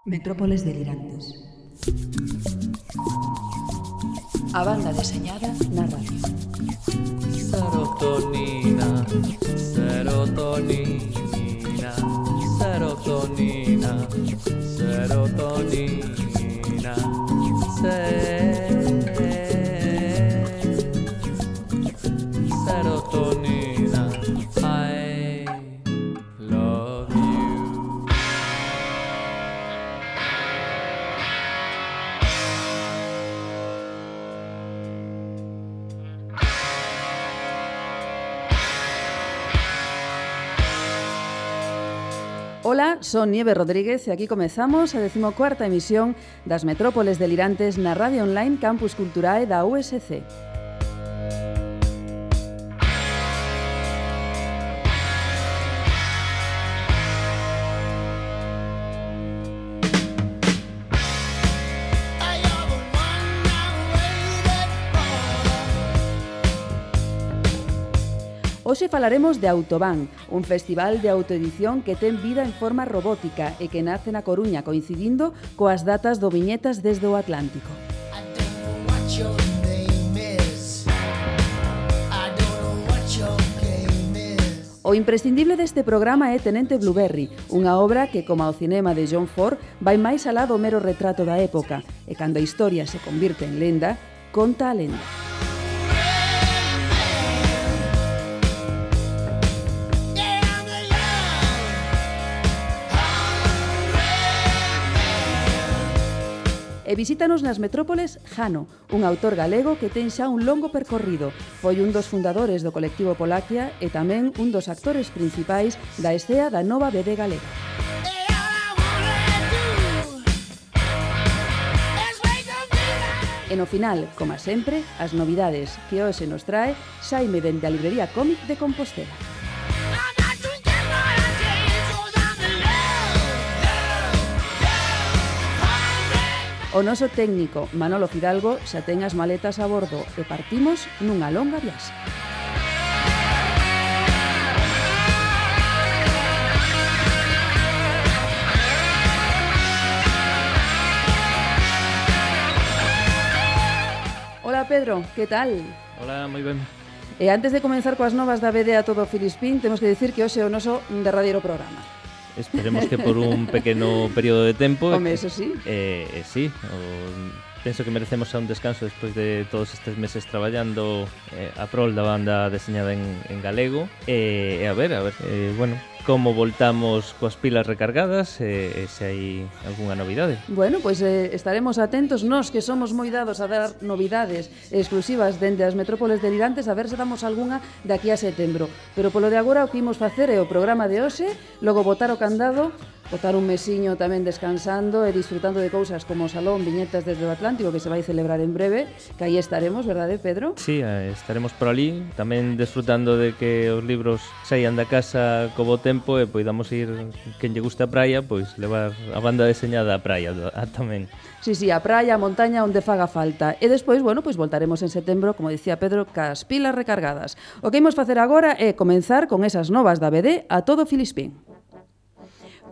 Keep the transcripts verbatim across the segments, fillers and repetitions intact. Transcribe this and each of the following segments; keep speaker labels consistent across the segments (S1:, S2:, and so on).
S1: Metrópoles delirantes. A banda deseñada na radio.
S2: Serotonina, serotonina, serotonina, serotonina, se- serotonina, I love you.
S1: Ola, son Nieve Rodríguez e aquí comezamos a decimocuarta emisión das Metrópoles delirantes na radio online Campus Culturae da U S C. Hoxe falaremos de Autobán, un festival de autoedición que ten vida en forma robótica e que nace na Coruña coincidindo coas datas do Viñetas desde o Atlántico. O imprescindible deste programa é Tenente Blueberry, unha obra que, como ao cinema de John Ford, vai máis alá do mero retrato da época, e cando a historia se convirte en lenda, conta a lenda. E visítanos nas Metrópoles Jano, un autor galego que ten xa un longo percorrido. Foi un dos fundadores do colectivo Polaquia e tamén un dos actores principais da escea da nova B D galega. E no final, como sempre, as novidades que hoxe nos trae Xaime dende a librería Cómic de Compostela. O noso técnico, Manolo Fidalgo, xa ten as maletas a bordo e partimos nunha longa viaxe. Hola Pedro, que tal?
S2: Hola, moi ben.
S1: E antes de comenzar coas novas da B D a todo Filispín, temos que dicir que hoxe é o noso derradeiro programa.
S2: Esperemos que por un pequeno período de tempo.
S1: Home, eso sí.
S2: Eh, eh, sí, o, penso que merecemos xa un descanso despois de todos estes meses traballando eh, a prol da banda deseñada en, en galego. E eh, a ver, a ver, eh, bueno, como voltamos coas pilas recargadas, e eh, se hai algunha novidade.
S1: Bueno, pois pues, eh, estaremos atentos nós que somos moi dados a dar novidades exclusivas dende as Metrópoles delirantes, a ver se damos algunha de aquí a setembro. Pero polo de agora o que imos facer é o programa de hoxe, logo botar o candado, botar un mesiño tamén descansando e disfrutando de cousas como o Salón Viñetas desde o Atlántico que se vai celebrar en breve, que aí estaremos, verdade, Pedro?
S2: Sí, eh, estaremos por ali, tamén disfrutando de que os libros saian da casa co bo tempo e poidamos ir, quen lle gusta a praia, pois levar a banda deseñada á praia a, tamén.
S1: Sí, sí, a praia, a montaña, onde faga falta. E despois, bueno, pois voltaremos en setembro, como dicía Pedro, cas pilas recargadas. O que imos facer agora é comenzar con esas novas da B D a todo Filispín.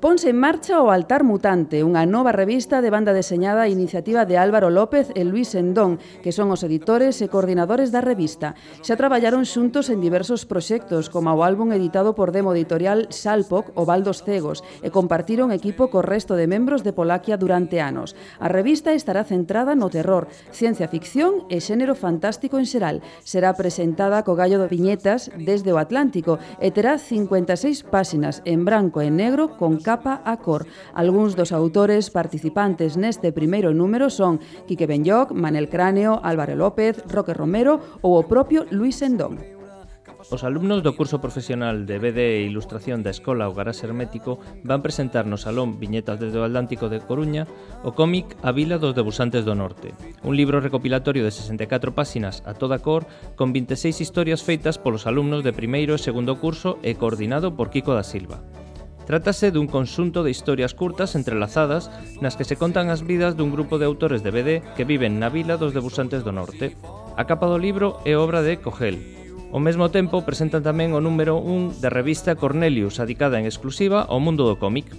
S1: Ponse en marcha o Altar Mutante, unha nova revista de banda deseñada a iniciativa de Álvaro López e Luís Endón, que son os editores e coordinadores da revista. Xa traballaron xuntos en diversos proxectos, como o álbum editado por Demo Editorial Salpoc, O Val dos Cegos, e compartiron equipo co resto de membros de Polaquia durante anos. A revista estará centrada no terror, ciencia ficción e xénero fantástico en xeral. Será presentada co gallo de Viñetas desde o Atlántico e terá cincuenta e seis páxinas en branco e negro con capa a cor. Algúns dos autores participantes neste primeiro número son Quique Benlloc, Manel Cráneo, Álvaro López, Roque Romero ou o propio Luís Endón.
S2: Os alumnos do curso profesional de B D e Ilustración da Escola O Garás Hermético van presentar no Salón Viñetas desde o Atlántico de Coruña o cómic A Vila dos Debuxantes do Norte, un libro recopilatorio de sesenta e catro páxinas a toda cor con vinte e seis historias feitas polos alumnos de primeiro e segundo curso e coordinado por Kiko da Silva. Trátase dun conxunto de historias curtas entrelazadas nas que se contan as vidas dun grupo de autores de B D que viven na Vila dos Debuxantes do Norte. A capa do libro é obra de Cogel. Ao mesmo tempo presentan tamén o número un da revista Cornelius, adicada en exclusiva ao mundo do cómic.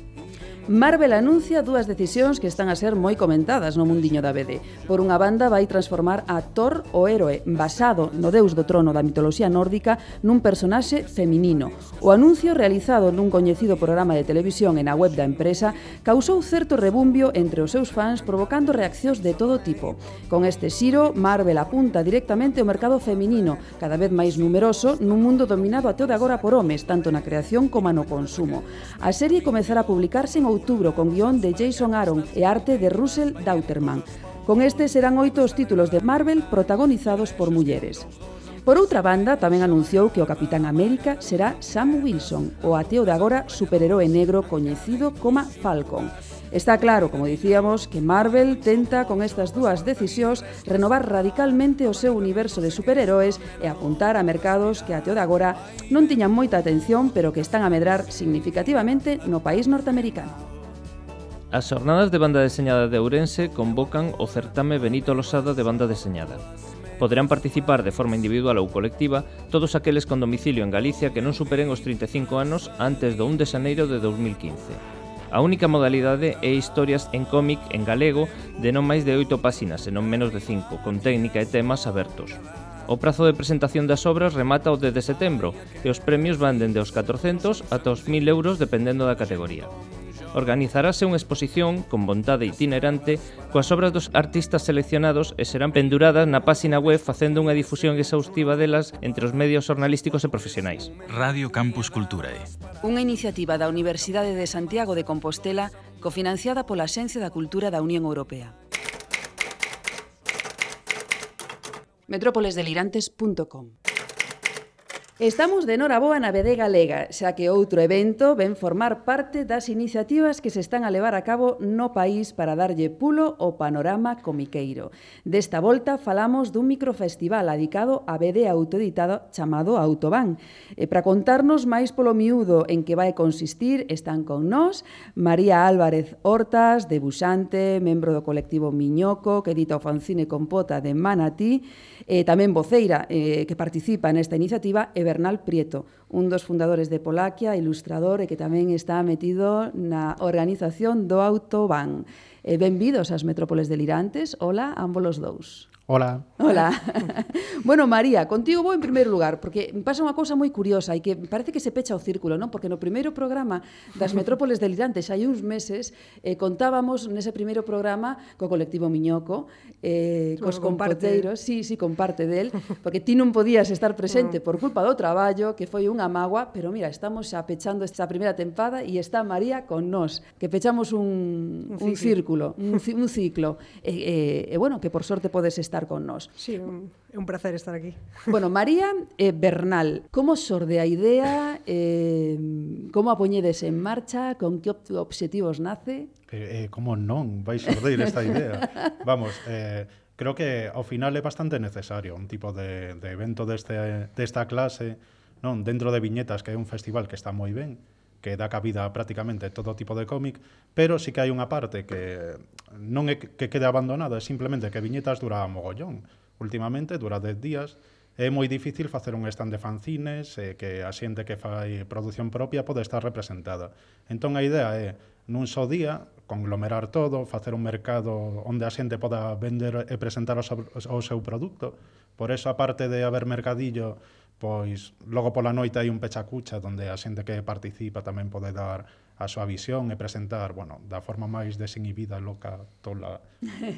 S1: Marvel anuncia dúas decisións que están a ser moi comentadas no mundiño da B D. Por unha banda, vai transformar a Thor, o héroe basado no deus do trono da mitoloxía nórdica, nun personaxe feminino. O anuncio, realizado nun coñecido programa de televisión e na web da empresa, causou certo rebumbio entre os seus fans, provocando reaccións de todo tipo. Con este xiro, Marvel apunta directamente ao mercado feminino, cada vez máis numeroso nun mundo dominado até o de agora por homes, tanto na creación como no consumo. A serie comezará a publicarse en outubro con guión de Jason Aaron e arte de Russell Dauterman. Con este serán oito os títulos de Marvel protagonizados por mulleres. Por outra banda, tamén anunciou que o Capitán América será Sam Wilson, o ateo de agora superheroe negro coñecido como Falcon. Está claro, como dicíamos, que Marvel tenta con estas dúas decisións renovar radicalmente o seu universo de superheroes e apuntar a mercados que até o de agora non tiñan moita atención, pero que están a medrar significativamente no país norteamericano.
S2: As xornadas de banda deseñada de Ourense convocan o certame Benito Losada de banda deseñada. Poderán participar de forma individual ou colectiva todos aqueles con domicilio en Galicia que non superen os trinta e cinco anos antes do un de xaneiro de dos mil quince. A única modalidade é historias en cómic en galego de non máis de oito páxinas e non menos de cinco, con técnica e temas abertos. O prazo de presentación das obras remata o dez de setembro e os premios van dende os catrocentos ata os mil euros dependendo da categoría. Organizarase unha exposición con vontade itinerante coas obras dos artistas seleccionados e serán penduradas na páxina web facendo unha difusión exhaustiva delas entre os medios xornalísticos e profesionais.
S3: Radio Campus Culturae.
S1: Unha iniciativa da Universidade de Santiago de Compostela cofinanciada pola Axencia da Cultura da Unión Europea. metrópoles delirantes punto com. Estamos de noraboa na B D galega, xa que outro evento ven formar parte das iniciativas que se están a levar a cabo no país para darlle pulo ao panorama comiqueiro. Desta volta falamos dun microfestival adicado a B D autoeditado chamado Autobán. E para contarnos máis polo miúdo en que vai consistir, están con nós María Álvarez Hortas, debuxante, membro do colectivo Miñoco, que edita o fanzine Compota de Manatí, e tamén voceira eh, que participa nesta iniciativa, e Bernal Prieto, un dos fundadores de Polaquia, ilustrador e que tamén está metido na organización do Autobán. E benvidos ás Metrópoles Delirantes. Hola, ambos os dous.
S4: Hola.
S1: Hola. Bueno, María, contigo vou en primeiro lugar, porque me pasa unha cousa moi curiosa e que parece que se pecha o círculo, non? Porque no primeiro programa das Metrópoles Delirantes, hai uns meses, eh, contábamos nese primeiro programa co colectivo Miñoco, eh, cos compoteiros, sí, sí, con parte del, porque ti non podías estar presente por culpa do traballo, que foi unha mágoa, pero mira, estamos xa pechando esta primeira tempada e está María con nós, que pechamos un, un círculo, un, un ciclo, e, e, e bueno, que por sorte podes estar con nós.
S5: Sí, é un placer estar aquí.
S1: Bueno, María e eh, Bernal, como xorde a idea, eh, como a poñedes en marcha, con que obxectivos nace?
S4: Eh, eh, como non vai xordeir esta idea? Vamos, eh, creo que ao final é bastante necesario un tipo de, de evento deste, desta clase, non dentro de Viñetas, que é un festival que está moi ben, que dá cabida a prácticamente todo tipo de cómic, pero sí que hai unha parte que non é que quede abandonada, é simplemente que Viñetas dura mogollón. Últimamente dura dez días, é moi difícil facer un stand de fanzines e que a xente que fai produción propia pode estar representada. Entón a idea é, nun só día, conglomerar todo, facer un mercado onde a xente poda vender e presentar o seu, o seu produto. Por eso, aparte de haber mercadillo, pois logo pola noite hai un pechacucha onde a xente que participa tamén pode dar a súa visión e presentar, bueno, da forma máis desinhibida, loca, tola,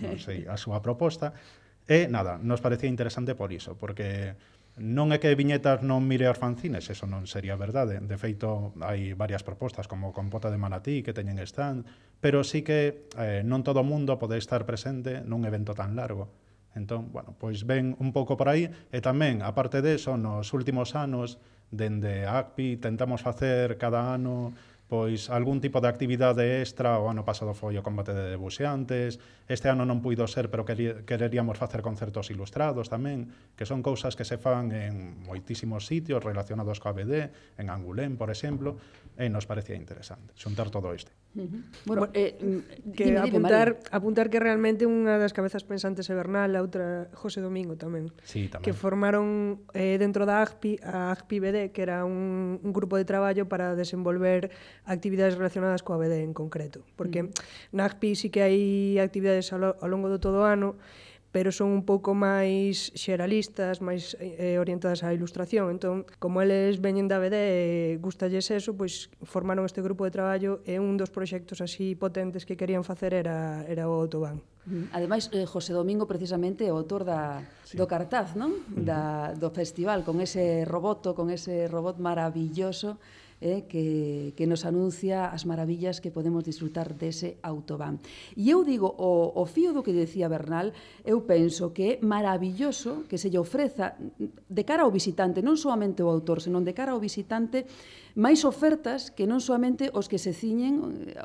S4: non sei, a súa proposta. E nada, nos parecía interesante por iso, porque non é que Viñetas non mire aos fanzines, eso non sería verdade. De feito, hai varias propostas como Compota de Manatí que teñen stand, pero sí que eh, non todo o mundo pode estar presente nun evento tan largo. Entón, bueno, pois ven un pouco por aí e tamén, aparte deso, nos últimos anos, dende A C P I, tentamos facer cada ano pois algún tipo de actividade extra. O ano pasado foi o combate de debuxeantes, este ano non puido ser, pero quereríamos facer concertos ilustrados tamén, que son cousas que se fan en moitísimos sitios relacionados coa B D, en Angulén, por exemplo, e nos parecía interesante xuntar todo isto.
S1: Uh-huh. Bueno, eh,
S5: que
S1: dime, dime,
S5: apuntar, apuntar que realmente unha das cabezas pensantes é Bernal, a outra José Domingo tamén,
S4: sí, tamén.
S5: que formaron eh, dentro da A C P I a A C P I B D, que era un, un grupo de traballo para desenvolver actividades relacionadas coa B D en concreto, porque na A C P I sí que hai actividades ao, lo, ao longo do todo o ano, pero son un pouco máis xeralistas, máis eh, orientadas á ilustración. Entón, como eles veñen da B D e gustalles eso, pois formaron este grupo de traballo e un dos proxectos así potentes que querían facer era, era o Autobán.
S1: Ademais, eh, José Domingo precisamente é o autor da, sí. do cartaz, non? Da, do festival, con ese roboto, con ese robot maravilloso eh, que, que nos anuncia as maravillas que podemos disfrutar dese Autobán. E eu digo, o, o fío do que decía Bernal, eu penso que é maravilloso que se lle ofreza de cara ao visitante, non soamente o autor, senón de cara ao visitante, máis ofertas que non soamente os que se ciñen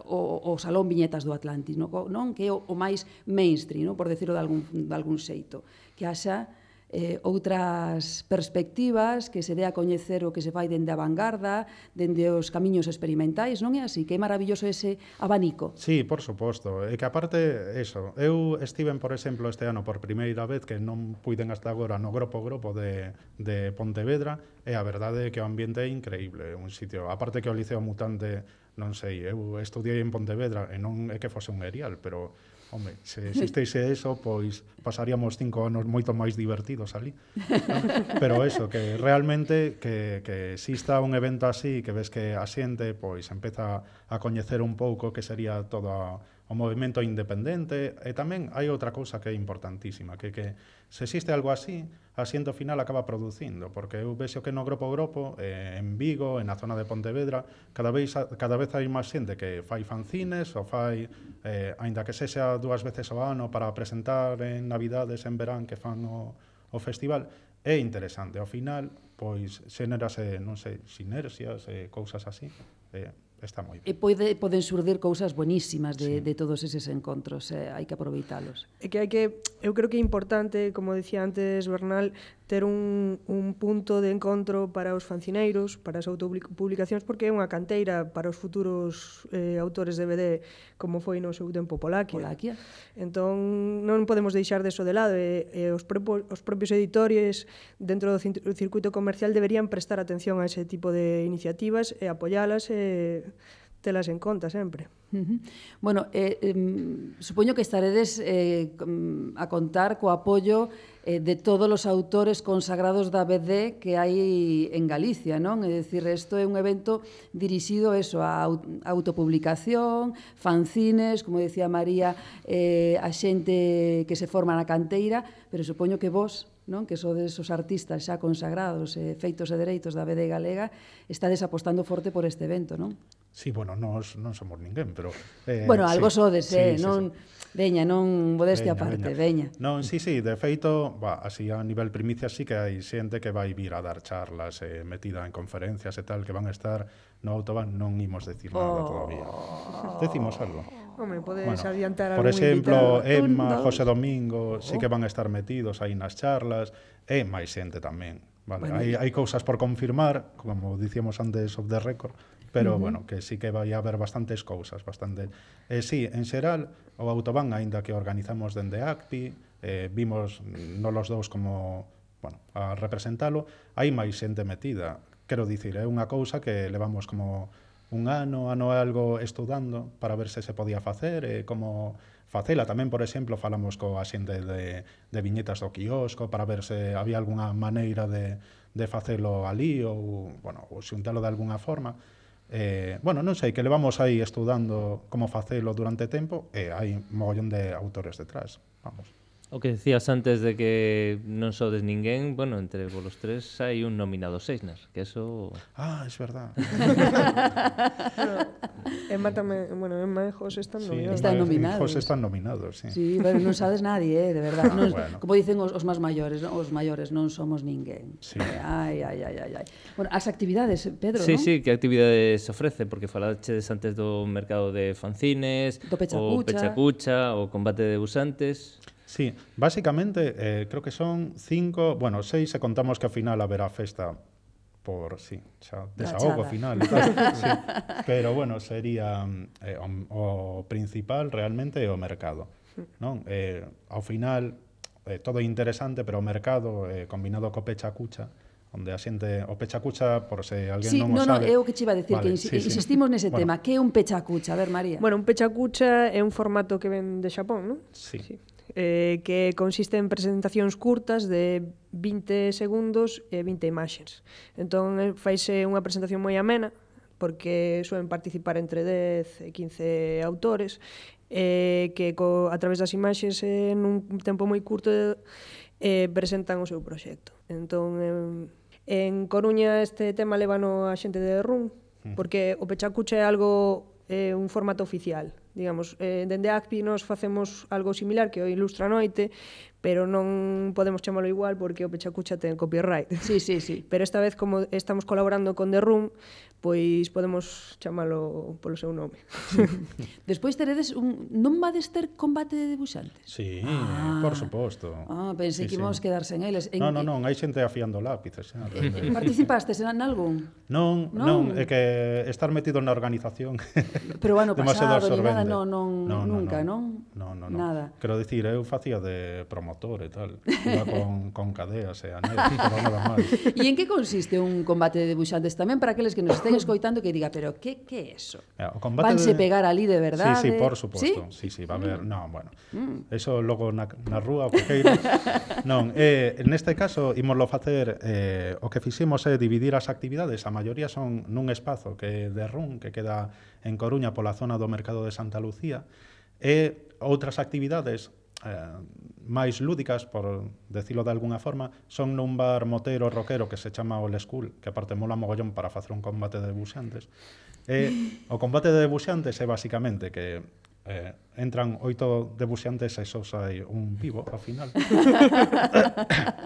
S1: o, o Salón Viñetas do Atlantis, non? non? Que é o, o máis mainstream, non? Por decirlo de algún, de algún xeito. Que haxa eh, outras perspectivas, que se dé a coñecer o que se fai dende a vanguarda, dende os camiños experimentais, non é así? Que é maravilloso ese abanico.
S4: Sí, por suposto. E que aparte, eso, eu estiven, por exemplo, este ano por primeira vez, que non puiden hasta agora no Gropo Gropo de, de Pontevedra, e a verdade é que o ambiente é increíble, un sitio, aparte que o Liceo Mutante, non sei, eu estudiei en Pontevedra, e non é que fose un erial, pero home, se existese eso, pois pasaríamos cinco anos moito máis divertidos ali. ¿No? Pero eso, que realmente que, que exista un evento así, que ves que a xente pois empeza a coñecer un pouco que sería todo a, o movimento independente, e tamén hai outra cousa que é importantísima, que que se existe algo así, a xente ao final acaba producindo, porque eu vexo que no Gropo Gropo, eh, en Vigo, en a zona de Pontevedra, cada vez cada vez hai máis xente que fai fanzines ou fai, eh, aínda que sexa dúas veces ao ano para presentar en Navidades, en verán, que fan o, o festival. É interesante, ao final, pois, xénerase, non sei, sinerxias, eh, cousas así, eh, está moi ben.
S1: E pode, poden surdir cousas buenísimas de,
S4: Sí.
S1: de todos eses encontros, eh, hai que aproveitalos.
S5: É que hai que, eu creo que é importante, como dicía antes Bernal, ter un, un punto de encontro para os fancineiros, para as autopublicacións, porque é unha canteira para os futuros eh, autores de B D, como foi no seu tempo Polaquia.
S1: Polaquia.
S5: Entón, non podemos deixar deso de lado, e, e os, prepo, os propios editores dentro do circuito comercial deberían prestar atención a ese tipo de iniciativas e apoialas e telas en conta sempre.
S1: Uh-huh. Bueno, eh, eh, supoño que estaredes eh, a contar co apoio eh, de todos os autores consagrados da B D que hai en Galicia, non? É dicir, isto é un evento dirixido eso, a autopublicación, fanzines, como decía María, eh, a xente que se forma na canteira, pero supoño que vos, non? Que sodes os artistas xa consagrados, eh, feitos e dereitos da B D galega, estades apostando forte por este evento, non?
S4: Sí, bueno, nós non somos ninguén, pero... Eh,
S1: bueno, algo
S4: sí,
S1: sodes,
S4: sí,
S1: eh,
S4: sí,
S1: non...
S4: Sí.
S1: Veña, non modestia aparte, veña.
S4: Non, sí, sí, de feito, va, así a nivel primicia sí que hai xente que vai vir a dar charlas, eh, metida en conferencias e tal, que van a estar no Autobán, non imos decir nada oh. todavía. Decimos algo.
S5: Home, podes
S4: bueno,
S5: adiantar
S4: por
S5: algún
S4: exemplo,
S5: invitado.
S4: Emma,
S1: Un,
S4: José Domingo, sí que van a estar metidos aí nas charlas, e máis xente tamén. Vale, bueno, hai, hai cousas por confirmar, como dicíamos antes of the record, pero, uh-huh. bueno, que sí que vai haber bastantes cousas, bastante. Eh, sí, en xeral, o Autobán, aínda que organizamos dende A C P I, eh, vimos non los dous como, bueno, a representalo, hai máis xente metida. Quero dicir, é unha cousa que levamos como un ano, ano e algo estudando para ver se se podía facer, e como facela. Tamén, por exemplo, falamos coa xente de, de viñetas do quiosco para ver se había algunha maneira de, de facelo ali ou, bueno, ou xuntalo de algunha forma. Eh, bueno, non sei, que levamos aí estudando como facelo durante tempo e hai mogollón de autores detrás, vamos.
S2: O que decías antes de que non sodes ninguén, bueno, entre vos tres hai un nominado Seixnas, que eso...
S4: Ah, es verdad.
S5: Bueno, Emma tamén, bueno, Emma e José están
S4: Sí,
S5: nominados.
S1: Están nominados.
S4: José están nominados, sí.
S1: Sí, pero non sabes nadie, eh, de verdad. Non,
S4: Bueno.
S1: Como dicen os, os máis maiores, non? Os maiores non somos ninguén.
S4: Sí.
S1: Eh, ai, ai, ai, ai, ai. Bueno, as actividades, Pedro,
S2: Sí,
S1: non?
S2: sí, que actividades se ofrece, porque falaches antes do mercado de fanzines,
S1: Do pechacucha.
S2: o pechacucha, o combate de debuxantes...
S4: Sí, básicamente eh, creo que son cinco, bueno, seis se contamos que ao final haberá festa por, sí, xa, desahogo
S1: Rachada.
S4: final. Tal, sí. Pero bueno, sería eh, o, o principal realmente é o mercado, non? Eh, ao final, eh, todo é interesante, pero o mercado, eh, combinado co pecha cucha, onde a xente o pechacucha, por se alguén
S1: Sí,
S4: non o
S1: no, no,
S4: sabe.
S1: é o que che iba a decir,
S4: Vale,
S1: que insi-
S4: sí, sí.
S1: insistimos nese
S4: Bueno,
S1: tema. Que é un pechacucha? A ver, María.
S5: Bueno, un pechacucha é un formato que ven de Xapón, non?
S4: Sí.
S5: sí. Eh, que consiste en presentacións curtas de vinte segundos e vinte imaxes. Entón, eh, faise unha presentación moi amena, porque suelen participar entre dez e quince autores, eh, que co, a través das imaxes eh, nun tempo moi curto eh, presentan o seu proxecto. Entón, eh, en Coruña este tema levano a xente de Run, porque o pechacucha é algo, eh, un formato oficial. Digamos, eh, dende A C P I nos facemos algo similar que o Ilustra Noite, pero non podemos chamalo igual porque o pechacucha ten copyright.
S1: Sí, sí, sí.
S5: Pero esta vez, como estamos colaborando con The Room, pois podemos chamalo polo seu nome.
S1: Despois teredes un... Non vades ter combate de debuxantes?
S4: Sí,
S1: Ah.
S4: por suposto.
S1: Ah, pensei
S4: Sí,
S1: que
S4: sí.
S1: íbamos quedar sen eles. En,
S4: Non, non, non, hai xente afiando lápices. Xa, dende-
S1: Participastes en algún?
S4: non,
S1: Non.
S4: non, é que estar metido na organización
S1: Pero o ano
S4: demasiado
S1: pasado, ni nada,
S4: absorbente.
S1: non, non, nunca, non?
S4: Non, non, non.
S1: Nada.
S4: Quero dicir, eu facía de promotor e tal. Iba con, con cadeas e anel, pero nada máis.
S1: E en que consiste un combate de debuxantes tamén para aqueles que nos estén escoitando que diga, pero que que é eso?
S4: Mira, o combate
S1: Vanse
S4: de...
S1: pegar ali de verdade?
S4: Sí, sí, por suposto.
S1: ¿Sí?
S4: Sí, sí, va a haber... Non, bueno. Eso logo na, na rúa, o que queiras. Non, eh, neste caso, ímoslo facer... Eh, o que fixemos é dividir as actividades. A maioría son nun espazo que de Run, que queda en Coruña pola zona do Mercado de Santa Lucía, e outras actividades eh, máis lúdicas, por decirlo de alguna forma, son nun bar motero rockero que se chama Old School, que aparte mola mogollón para facer un combate de debuxantes. E o combate de debuxantes é basicamente que eh, entran oito debuxantes e só sai un vivo ao final.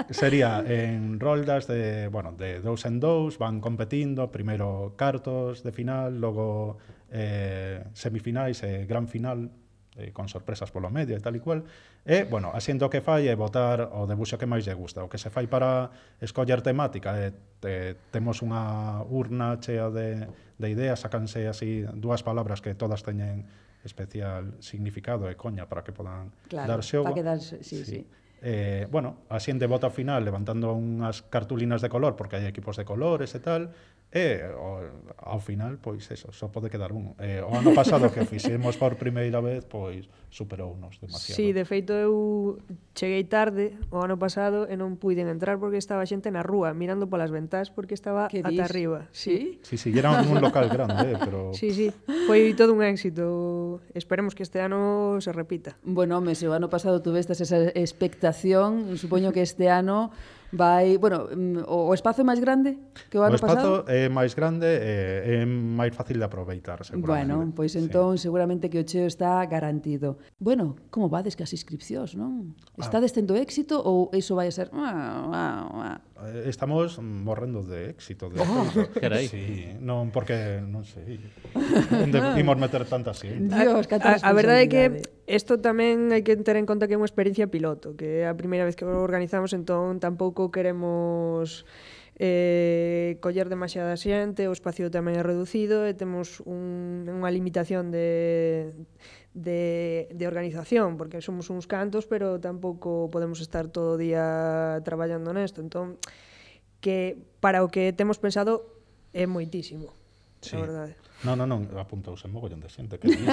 S4: Sería en roldas de, bueno, de dous en dous, van competindo, primeiro cartos de final, logo eh, semifinais e gran final, eh, con sorpresas polo medio e tal e cual. E, bueno, asiento que fai é votar o debuxo que máis lle gusta. O que se fai para escoller temática é te, temos unha urna chea de, de ideas, sacanse así dúas palabras que todas teñen especial significado e coña para que podan
S1: Claro,
S4: dar xogo.
S1: para que dar, sí, sí. sí.
S4: Eh, bueno, a xente vota ao final levantando unhas cartulinas de color, porque hai equipos de colores e tal, e o, ao final, pois eso, só pode quedar un. Eh, o ano pasado que o fixemos por primeira vez, pois superounos demasiado.
S5: Sí, de feito eu cheguei tarde o ano pasado e non puiden entrar porque estaba xente na rúa mirando polas ventás porque estaba
S1: Que
S5: ata
S1: dis?
S5: arriba.
S1: Sí?
S4: Sí, sí, era un local grande, eh, pero...
S5: Sí, sí, foi todo un éxito. Esperemos que este ano se repita.
S1: Bueno, home, se o ano pasado tuvestes esa expectación, supoño que este ano vai... Bueno, mm, o o espazo é máis grande que o
S4: O
S1: ano
S4: espazo
S1: pasado?
S4: é máis grande e é máis fácil de aproveitar, seguramente.
S1: Bueno, pois entón seguramente que o cheo está garantido. Bueno, como vades que as inscripcións, non? Estades tendo éxito ou iso vai a ser... Ah, ah, ah.
S4: Eh, Estamos morrendo de éxito. De
S1: Oh,
S4: éxito.
S2: carai.
S4: Sí, non, porque, non sei, onde imos meter tanta xente.
S1: Dios, canta
S5: A, a verdade é que
S1: responsabilidade.
S5: isto tamén hai que ter en conta que é unha experiencia piloto, que é a primeira vez que o organizamos, entón tampouco queremos eh, coller demasiada xente, o espacio tamén é reducido e temos un, unha limitación de, de, de organización, porque somos uns cantos, pero tampouco podemos estar todo o día traballando nesto, entón que para o que temos pensado é moitísimo,
S4: Sí.
S5: a verdade.
S4: Non, non, non, apuntouse mogollón de xente. Que dis?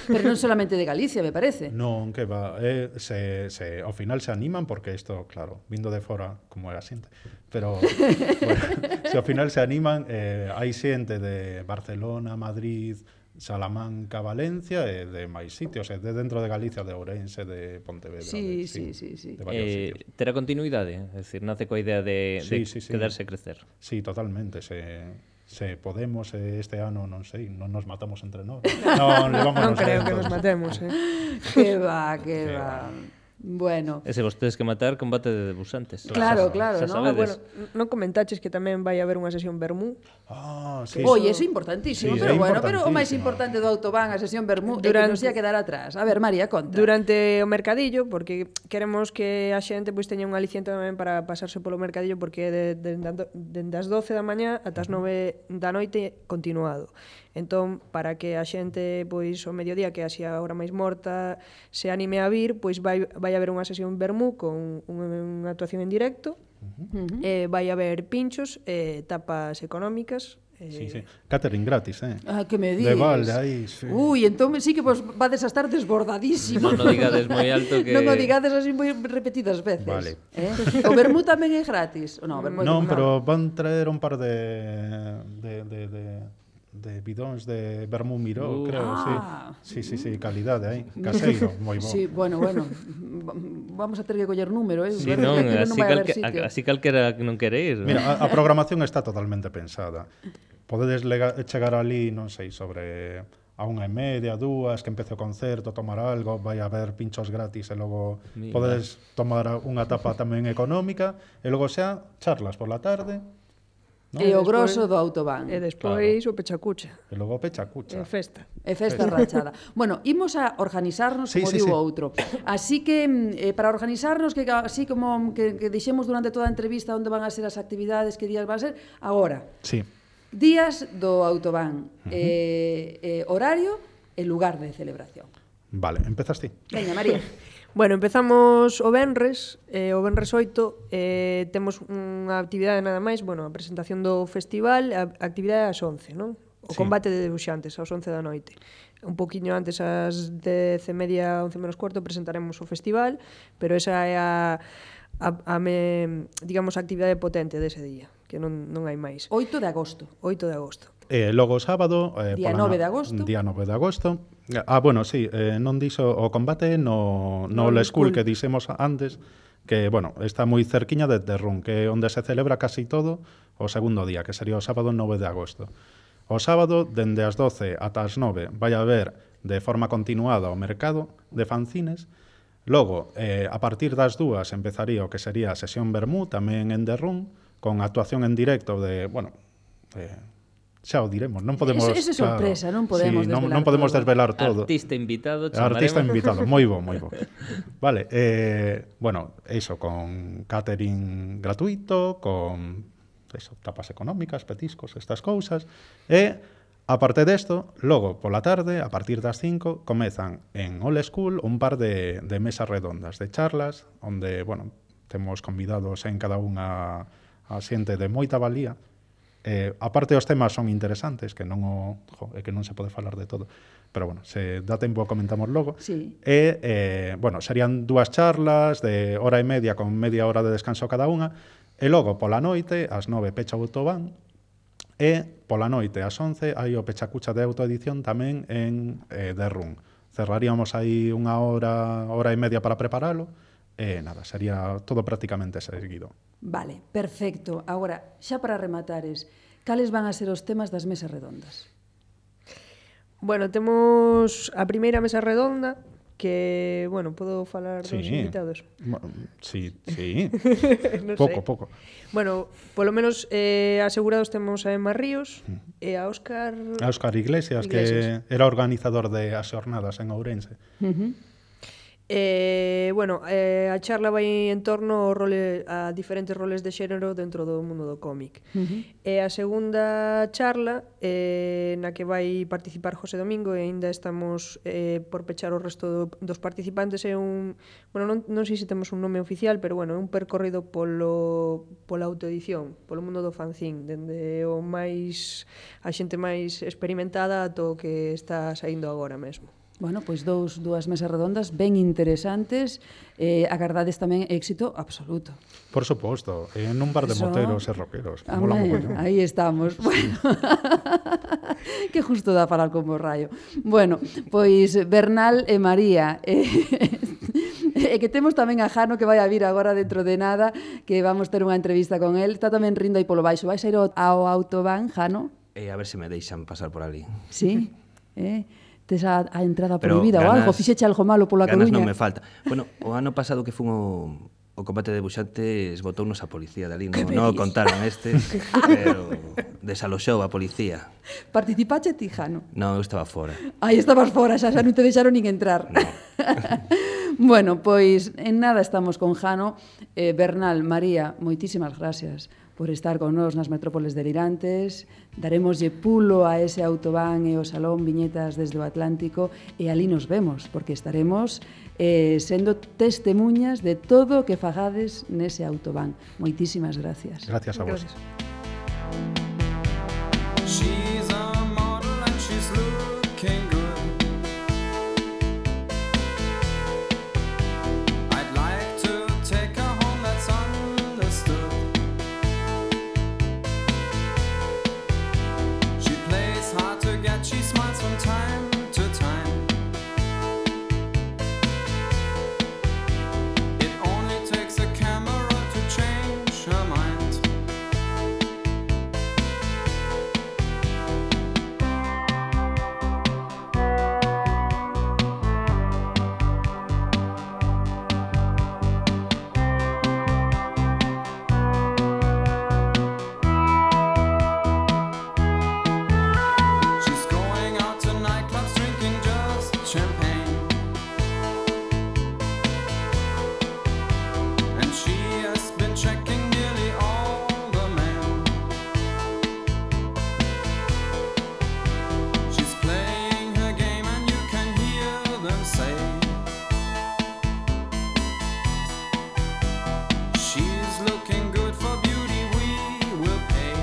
S1: Pero non solamente de Galicia, me parece.
S4: Non, que va, eh, se, se, ao final se animan porque isto, claro, vindo de fora como é a xente, pero bueno, se ao final se animan, eh, hai xente de Barcelona, Madrid, Salamanca, Valencia e de máis sitios, e de dentro de Galicia, de Ourense, de Pontevedra.
S1: Sí,
S4: de,
S1: sí, sí, sí.
S4: de varios
S2: Eh,
S4: sitios.
S2: terá continuidade, é dicir, nace coa idea de, de
S4: Sí, sí, sí.
S2: quedarse e crecer.
S4: Sí, totalmente, se... se podemos eh, este ano, non sei, non nos matamos entre nós. Non, levamos
S5: Non creo que nos matemos, eh.
S1: Que va, que
S4: Que
S1: va.
S4: va.
S1: Bueno,
S2: E se vos tedes que matar, combate de debuxantes.
S1: claro,
S2: Xa-
S1: claro,
S2: xa
S1: ¿no?
S5: Ah,
S2: sabedes.
S5: bueno, non comentaches que tamén vai haber unha sesión Bermú.
S4: Ah, sí.
S1: Oye, eso é importantísimo,
S4: Sí,
S1: pero
S4: é
S1: bueno, pero o máis importante
S4: importantísimo.
S1: do autobán, a sesión Bermú, é que
S5: Durante-
S1: non se ia quedar atrás. A ver, María, conta.
S5: Durante o mercadillo, porque queremos que a xente pois teña un aliciente tamén para pasarse polo mercadillo, porque é de, de, de, dende as doce da mañá ata as nove da noite continuado. Entón, para que a xente, pois, o mediodía, que é así a hora máis morta, se anime a vir, pois vai, vai haber unha sesión Bermú con unha, unha actuación en directo, Uh-huh. Eh, vai haber pinchos, eh, tapas económicas. Eh...
S4: Sí, sí. Catering gratis, eh?
S1: Ah, que me dis?
S4: De balde, aí, sí.
S1: Ui, entón sí que vos vades a estar desbordadísimos.
S2: Non o digades moi alto que...
S1: Non o digades así moi repetidas veces.
S4: Vale.
S1: Eh? O vermú tamén é gratis? No, vermú
S4: non,
S1: é
S4: pero van traer un par de... de, de, de... de bidóns de vermú miró,
S2: Uh.
S4: creo,
S1: Ah.
S4: sí. Sí, sí, sí, calidade aí, caseiro, moi bo.
S1: Sí, bueno, bueno, vamos a ter que coller número, eh?
S2: Sí, non,
S1: Que
S2: así,
S1: vai haber
S2: calque,
S1: sitio.
S2: así calquera que non quere ir.
S4: Mira, a, a programación está totalmente pensada. Podedes lega, chegar ali, non sei, sobre a unha e media, dúas, que empece o concerto, tomar algo, vai haber pinchos gratis e logo
S2: Mira.
S4: podedes tomar unha tapa tamén económica e logo xa charlas por la tarde.
S1: No? E o grosso do autobán.
S5: E despois claro. O pechacucha.
S4: E logo pecha cucha.
S5: E festa.
S1: E festa rachada. Bueno, imos a organizarnos,
S4: sí,
S1: como
S4: sí,
S1: digo
S4: sí.
S1: outro. Así que, eh, para organizarnos, que así como que, que dixemos durante toda a entrevista onde van a ser as actividades, que días van a ser, agora,
S4: Sí.
S1: días do autobán,
S4: Uh-huh.
S1: eh, eh, horario e lugar de celebración.
S4: Vale, empezas ti.
S1: Veña, María.
S5: Bueno, empezamos o venres, eh, o venres oito, eh, temos unha actividade nada máis, bueno, a presentación do festival, a actividade ás once, non? O
S4: Sí.
S5: combate de debuxantes, ás once da noite. Un poquinho antes, ás dez e media, once menos cuarto, presentaremos o festival, pero esa é a, a, a me, digamos, a actividade potente dese día, que non, non hai máis.
S1: oito de agosto.
S5: oito de agosto.
S4: E logo o sábado... Eh,
S1: Día
S4: pola
S1: nove
S4: na-
S1: de agosto.
S4: Día nove de agosto. Ah, bueno, sí, eh, non dixo o combate no, no,
S1: No
S4: Old
S1: Old
S4: School
S1: School.
S4: que dixemos antes, que, bueno, está moi cerquiña de Terrún, que é onde se celebra casi todo o segundo día, que sería o sábado nove de agosto. O sábado, dende as doce ata as nove, vai haber de forma continuada o mercado de fanzines. Logo, eh, a partir das dúas empezaría o que sería a sesión Vermú, tamén en Derrún, con actuación en directo de, bueno, eh, xa o diremos, non podemos...
S1: Ese- ese sorpresa, non podemos
S4: sí, non,
S1: desvelar
S4: non podemos
S1: todo.
S4: desvelar todo.
S2: Artista invitado,
S4: Artista
S2: chamaremos.
S4: invitado, moi bo, moi bo. Vale, eh, bueno, eso, con catering gratuito, con eso, tapas económicas, petiscos, estas cousas, e aparte desto, logo, pola tarde, a partir das cinco, comezan en Old School un par de, de mesas redondas, de charlas, onde, bueno, temos convidados en cada unha a xente de moita valía. Eh, aparte os temas son interesantes, que non o, jo, é que non se pode falar de todo, pero bueno, se dá tempo comentamos logo.
S1: Sí.
S4: E, eh, bueno, serían dúas charlas de hora e media con media hora de descanso cada unha, e logo pola noite, ás nove pecha o autobán, e pola noite ás once hai o pechacucha de autoedición tamén en eh, Derrún. Cerraríamos aí unha hora, hora e media para preparalo, e nada, sería todo prácticamente seguido.
S1: Vale, perfecto. Agora, xa para rematares, cales van a ser os temas das mesas redondas?
S5: Bueno, temos a primeira mesa redonda, que, bueno, podo falar dos invitados?
S4: Mo- Sí, sí.
S5: Non
S4: pouco,
S5: sei.
S4: pouco.
S5: Bueno, polo menos eh, asegurados temos a Emma Ríos e a Óscar...
S4: A Óscar Iglesias,
S5: Iglesias.
S4: que era organizador de as xornadas en Ourense.
S1: Uh-huh.
S5: Eh, bueno, eh, a charla vai en torno ao role, a diferentes roles de xénero dentro do mundo do cómic.
S1: Uh-huh.
S5: E a segunda charla, eh, na que vai participar José Domingo, e aínda estamos eh, por pechar o resto do, dos participantes, é un... Bueno, non, non sei se temos un nome oficial, pero bueno, é un percorrido polo, pola autoedición, polo mundo do fanzín, dende o máis... a xente máis experimentada ata o que está saindo agora mesmo.
S1: Bueno, pois dous, dúas mesas redondas ben interesantes, eh, agardades tamén éxito absoluto.
S4: Por suposto, en un bar de
S1: Eso-
S4: moteros e rockeros. Mola
S1: Amén,
S4: mogollón.
S1: aí estamos. Bueno, que justo dá falar como raio. Bueno, pois Bernal e María, eh, e que temos tamén a Jano que vai a vir agora dentro de nada, que vamos ter unha entrevista con el. Está tamén rindo aí polo baixo. Vais a ir ao, ao autobán, Jano?
S6: E a ver se me deixan pasar por ali.
S1: Sí? Eh? Tes a, a entrada
S6: Pero
S1: prohibida ou algo? Fixeche algo malo pola
S6: ganas
S1: Coruña?
S6: non me falta. Bueno, o ano pasado que fun o, o combate de buxantes botounos a policía de ali.
S1: Que
S6: Non,
S1: me
S6: non o
S1: dis?
S6: contaron estes, pero desaloxou a policía.
S1: Participache ti, Jano?
S6: Non, eu estaba fora.
S1: Aí estabas fora, xa, xa non te deixaron nin entrar.
S6: No.
S1: Bueno, pois en nada estamos con Jano. Eh, Bernal, María, moitísimas gracias por estar con nós nas Metrópoles Delirantes. Daremoslle pulo a ese autobán e o Salón Viñetas desde o Atlántico e ali nos vemos, porque estaremos eh, sendo testemunhas de todo o que fagades nese autobán. Moitísimas gracias.
S4: Gracias a vos.
S5: Gracias.
S7: She's a model and she's looking good. I'd like to take her home, that's understood. She plays hard to get, she smiles from time to time. It only takes a camera to change her mind. She's going out to nightclubs drinking just champagne. And she has been checking nearly all the men. She's playing her game and you can hear them say she's looking good for beauty, we will pay.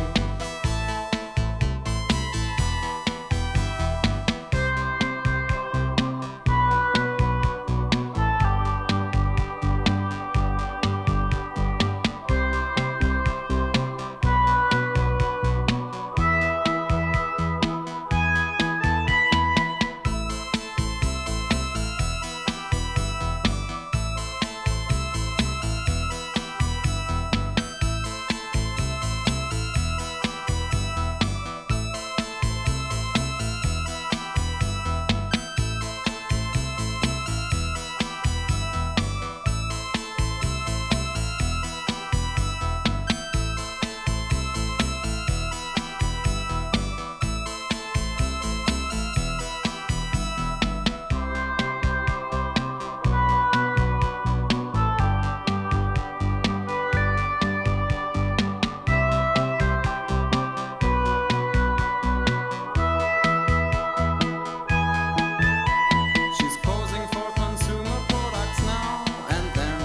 S7: She's posing for consumer products now and then.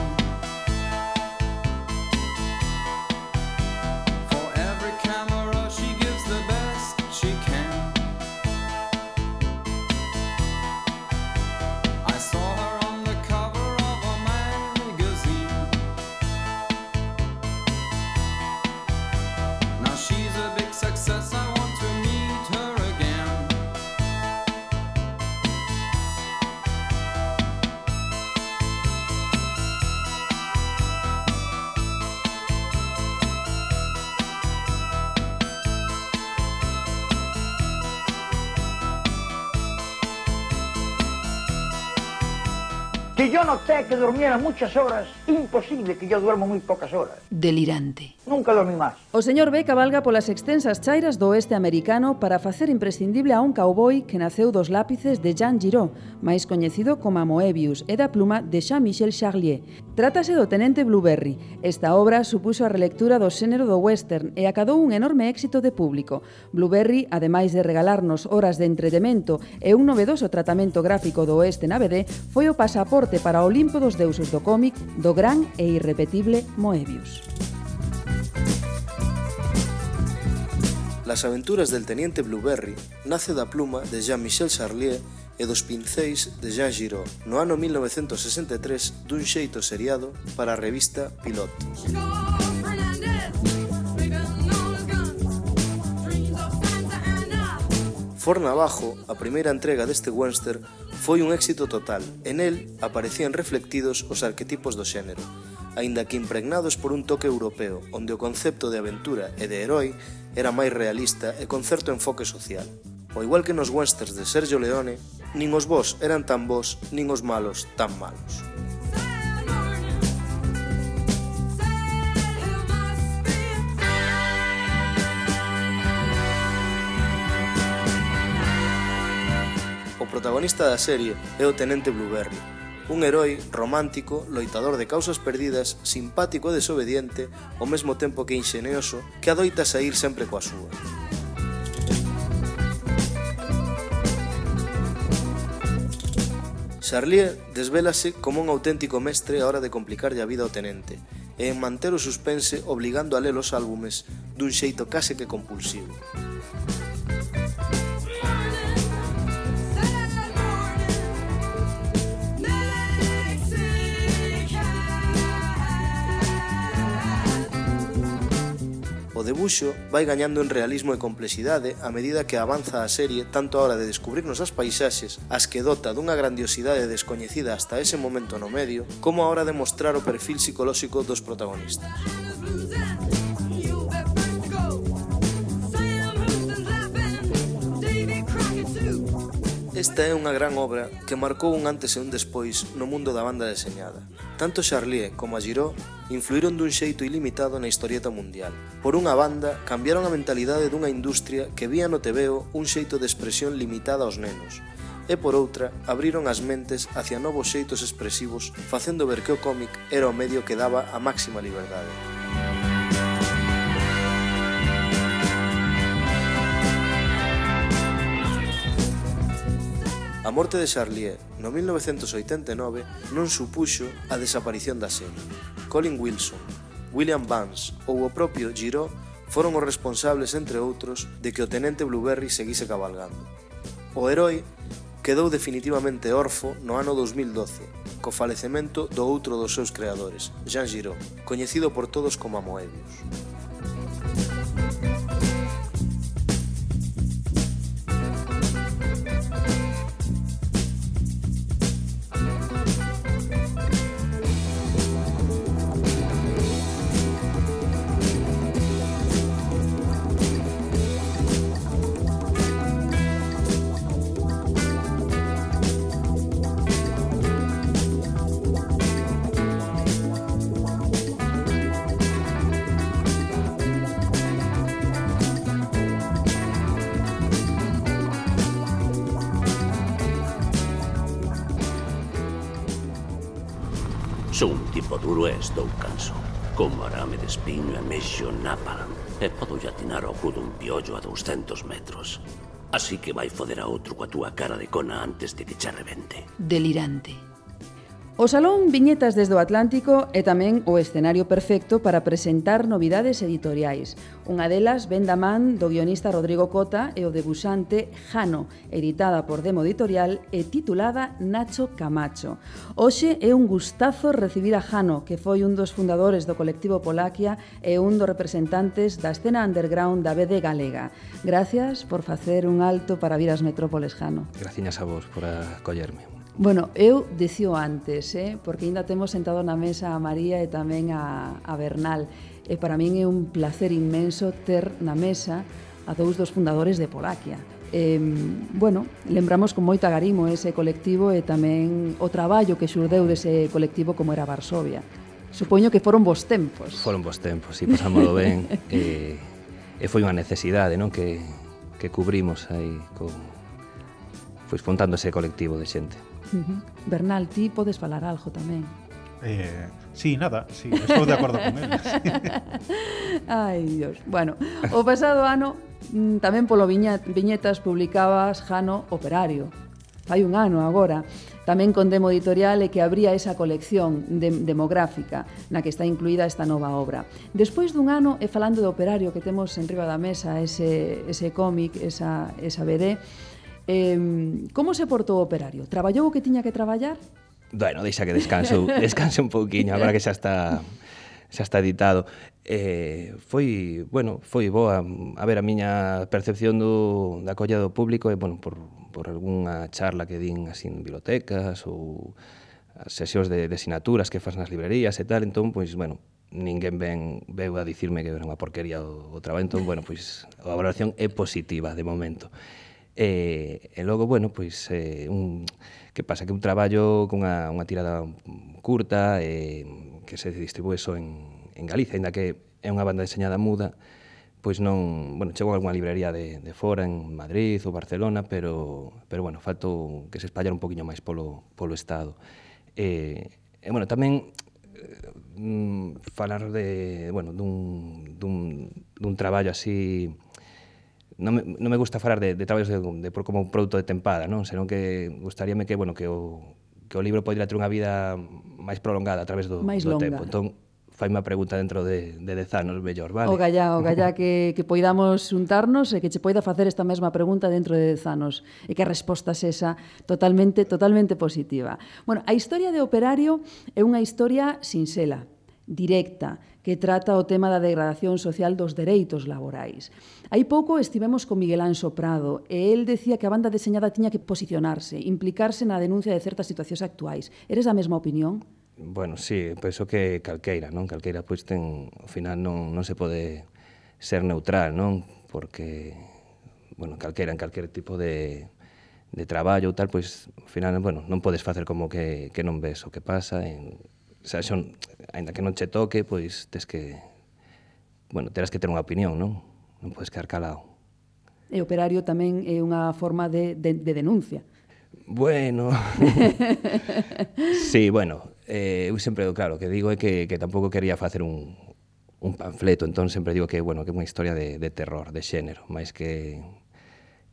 S7: For every camera she gives the best she can. I saw her on the cover of a magazine. Now she's a big success, I want to meet her again.
S8: Si yo noté que durmiera muchas horas, imposible que yo duermo muy pocas horas.
S1: Delirante.
S8: Nunca dormí más.
S1: O señor B cabalga polas extensas chairas do oeste americano para facer imprescindible a un cowboy que naceu dos lápices de Jean Giraud, máis coñecido como Moebius, e da pluma de Jean-Michel Charlier. Trátase do Tenente Blueberry. Esta obra supuxo a relectura do xénero do western e acadou un enorme éxito de público. Blueberry, ademais de regalarnos horas de entretemento e un novedoso tratamento gráfico do oeste na B D, foi o pasaporte para o Olimpo dos deuses do cómic do gran e irrepetible Moebius.
S9: Las aventuras del Teniente Blueberry nace da pluma de Jean-Michel Charlier e dos pincéis de Jean Giraud no ano mil novecentos sesenta e tres dun xeito seriado para a revista Pilot. Forna Abajo, a primeira entrega deste western, foi un éxito total e nel aparecían reflectidos os arquetipos do xénero, aínda que impregnados por un toque europeo onde o concepto de aventura e de herói era máis realista e con certo enfoque social. Ao igual que nos westerns de Sergio Leone, nin os bos eran tan bos, nin os malos tan malos. O protagonista da serie é o Tenente Blueberry, Un heroi romántico, loitador de causas perdidas, simpático e desobediente, ao mesmo tempo que inxenioso, que adoita saír sempre coa súa. Charlier desvélase como un auténtico mestre á hora de complicarlle a vida ao tenente e en manter o suspense obligando a ler os álbumes dun xeito case que compulsivo. O debuxo vai gañando en realismo e complexidade a medida que avanza a serie tanto a hora de descubrirnos as paisaxes, as que dota dunha grandiosidade descoñecida hasta ese momento no medio, como a hora de mostrar o perfil psicolóxico dos protagonistas. Esta é unha gran obra que marcou un antes e un despois no mundo da banda deseñada. Tanto Charlier como a Giraud influíron dun xeito ilimitado na historieta mundial. Por unha banda, cambiaron a mentalidade dunha industria que vía no tebeo un xeito de expresión limitada aos nenos. E por outra, abriron as mentes hacia novos xeitos expresivos, facendo ver que o cómic era o medio que daba a máxima liberdade. A morte de Charlier no mil novecentos oitenta e nove non supuxo a desaparición da serie. Colin Wilson, William Vance ou o propio Giraud foron os responsables, entre outros, de que o tenente Blueberry seguise cabalgando. O heroi quedou definitivamente orfo no ano dous mil doce, co falecemento do outro dos seus creadores, Jean Giraud, coñecido por todos como a Moebius.
S10: Sou un tipo duro e estou canso. Como arame de espiño e mexo napalm. E podo atinar ao cu dun piollo a douscentos metros. Así que vai foder a outro coa túa cara de cona antes de que che rebente.
S1: Delirante. O Salón Viñetas desde o Atlántico é tamén o escenario perfecto para presentar novidades editoriais. Unha delas ven da man do guionista Rodrigo Cota e o debuxante Jano, editada por Demo Editorial e titulada Nacho Camacho. Hoxe é un gustazo recibir a Jano, que foi un dos fundadores do colectivo Polaquia e un dos representantes da escena underground da B D galega. Gracias por facer un alto para vir ás metrópoles, Jano.
S6: Graciñas a vos por acollerme.
S1: Bueno, eu dicío antes, eh, porque ainda temos sentado na mesa a María e tamén a, a Bernal. E para min é un placer inmenso ter na mesa a dous dos fundadores de Polaquia. Eh, bueno, lembramos con moito agarimo ese colectivo e tamén o traballo que xurdeu dese colectivo como era Varsovia. Supoño que foron vos tempos.
S6: Foron vos tempos, si, pasámoslo ben. e, e foi unha necesidade, non, que, que cubrimos aí con, pois, montando ese colectivo de xente.
S1: Uh-huh. Bernal, ti podes falar algo tamén.
S4: Eh, sí, nada, sí, estou de acordo con él. Sí.
S1: Ai, Dios. Bueno, o pasado ano tamén polo Viña, Viñetas publicabas Jano Operario. Fai un ano agora. Tamén con Demo Editorial e que abría esa colección de, demográfica na que está incluída esta nova obra. Despois dun ano, e falando do Operario que temos en riba da mesa, ese, ese cómic, esa, esa B D, Eh, como se portou o Operario? Traballou o que tiña que traballar?
S6: Bueno, deixa que descanse, descanse un pouquiño, agora que xa está xa está editado. Eh, foi, bueno, foi boa. A ver, a miña percepción do, da acolla do público é, bueno, por, por algunha charla que din así en bibliotecas ou as sesións de, de asignaturas que fas nas librerías e tal, entón, pois, bueno, ninguén ven, veu a dicirme que era unha porquería o, o traballo, entón, bueno, pois, a valoración é positiva de momento. E, e logo, bueno, pois, eh, un, que pasa? Que un traballo con unha, unha tirada curta e que se distribúe só en, en Galicia, ainda que é unha banda deseñada muda, pois non, bueno, chegou a algunha librería de, de fora, en Madrid ou Barcelona, pero, pero bueno, faltou que se espallara un poquinho máis polo, polo Estado. E, e bueno, tamén mm, falar de, bueno, dun, dun, dun traballo así... Non me, non me gusta falar de, de traballos de, de, como un produto de tempada, non? Senón que gustaríame que, bueno, que o, que o libro podría ter unha vida máis prolongada a través do,
S1: máis
S6: do
S1: longa.
S6: tempo. Entón, faime a pregunta dentro de, de dez anos, mellor, vale?
S1: O gallá, o gallá que, que poidamos xuntarnos e que che poida facer esta mesma pregunta dentro de dez anos e que a resposta sexa totalmente, totalmente positiva. Bueno, a historia de Operario é unha historia sinxela, directa, que trata o tema da degradación social dos dereitos laborais. Hai pouco estivemos con Miguel Anxo Prado e el decía que a banda deseñada tiña que posicionarse, implicarse na denuncia de certas situacións actuais. Eres da mesma opinión?
S6: Bueno, sí, penso que calqueira, non? Calqueira, pois, ten, ao final non, non se pode ser neutral, non? Porque, bueno, calqueira, en calquer tipo de, de traballo ou tal, pois, ao final, bueno, non podes facer como que, que non ves o que pasa, en, o sea, son, ainda que non che toque, pois, tes que, bueno, terás que ter unha opinión, non? Non podes quedar calado.
S1: E Operario tamén é unha forma de, de, de denuncia.
S6: Bueno, sí, bueno, eh, eu sempre, claro, que digo é que, que tampouco quería facer un, un panfleto, entón sempre digo que, bueno, que é unha historia de, de terror, de xénero, máis que,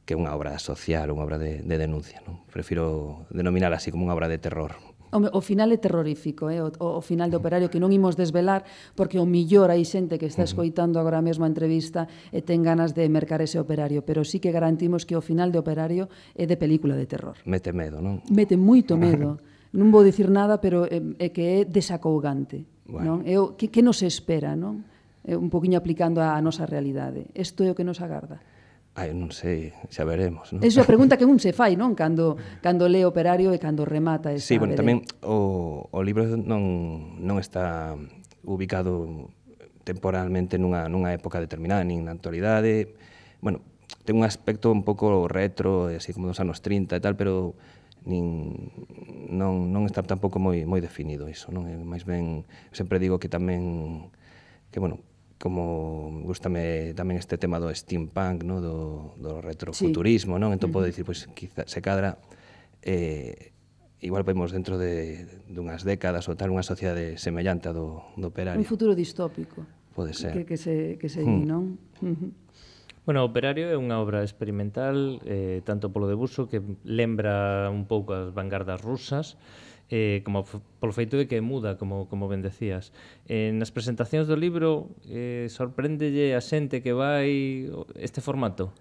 S6: que unha obra social, unha obra de, de denuncia, non? Prefiro denominar así como unha obra de terror.
S1: O, o final é terrorífico, eh? o, o final de Operario, que non imos desvelar, porque o millor hai xente que está escoitando agora mesmo a entrevista e ten ganas de mercar ese Operario, pero sí que garantimos que o final de Operario é de película de terror.
S6: Mete medo, non?
S1: Mete moito medo. Non vou dicir nada, pero é, é que é desacougante.
S6: Bueno.
S1: Non? É o, que, que nos espera, non? É un poquinho aplicando a nosa realidade. Isto é o que nos agarda.
S6: Ai, non sei, xa veremos, non?
S1: Esa é a pregunta que un se fai, non? Cando, cando lee Operario e cando remata esa
S6: Sí, bueno,
S1: B D.
S6: tamén o, o libro non, non está ubicado temporalmente nunha, nunha época determinada, nin na actualidade. Bueno, ten un aspecto un pouco retro, así como dos anos trinta e tal, pero nin, non, non está tampouco moi, moi definido iso, non? É máis ben, sempre digo que tamén, que, bueno, como gustame tamén este tema do steampunk, no? do, do retrofuturismo, sí. Non? Entón, uh-huh. Podo dicir, pois, quizá, se cadra, eh, igual vemos dentro de dunhas décadas ou tal, unha sociedade semellante a do, do Operario.
S1: Un futuro distópico.
S6: Pode ser.
S1: Que, que se, que se di,
S6: Hmm.
S1: non? Uh-huh.
S2: Bueno, Operario é unha obra experimental, eh, tanto polo debuxo, que lembra un pouco as vanguardas rusas, eh, como polo feito de que muda, como, como ben decías. Eh, nas presentacións do libro, eh, sorpréndelle a xente que vai este formato?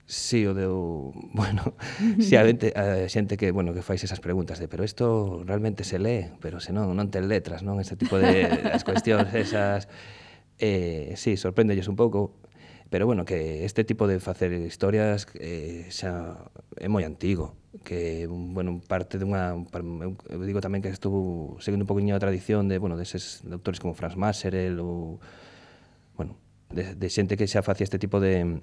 S6: Sí, o deu, bueno, si a, xente, a xente que, bueno, que fais esas preguntas de, pero isto realmente se lee, pero se non, non ten letras, non? Este tipo de as cuestións esas, eh, sí, sorpréndelles un pouco, pero bueno, que este tipo de facer historias eh, xa é moi antigo, que, bueno, parte dunha, eu digo tamén que estuvo seguindo un poquinho a tradición de, bueno, deses de autores como Franz Maserel ou, bueno, de, de xente que xa facía este tipo de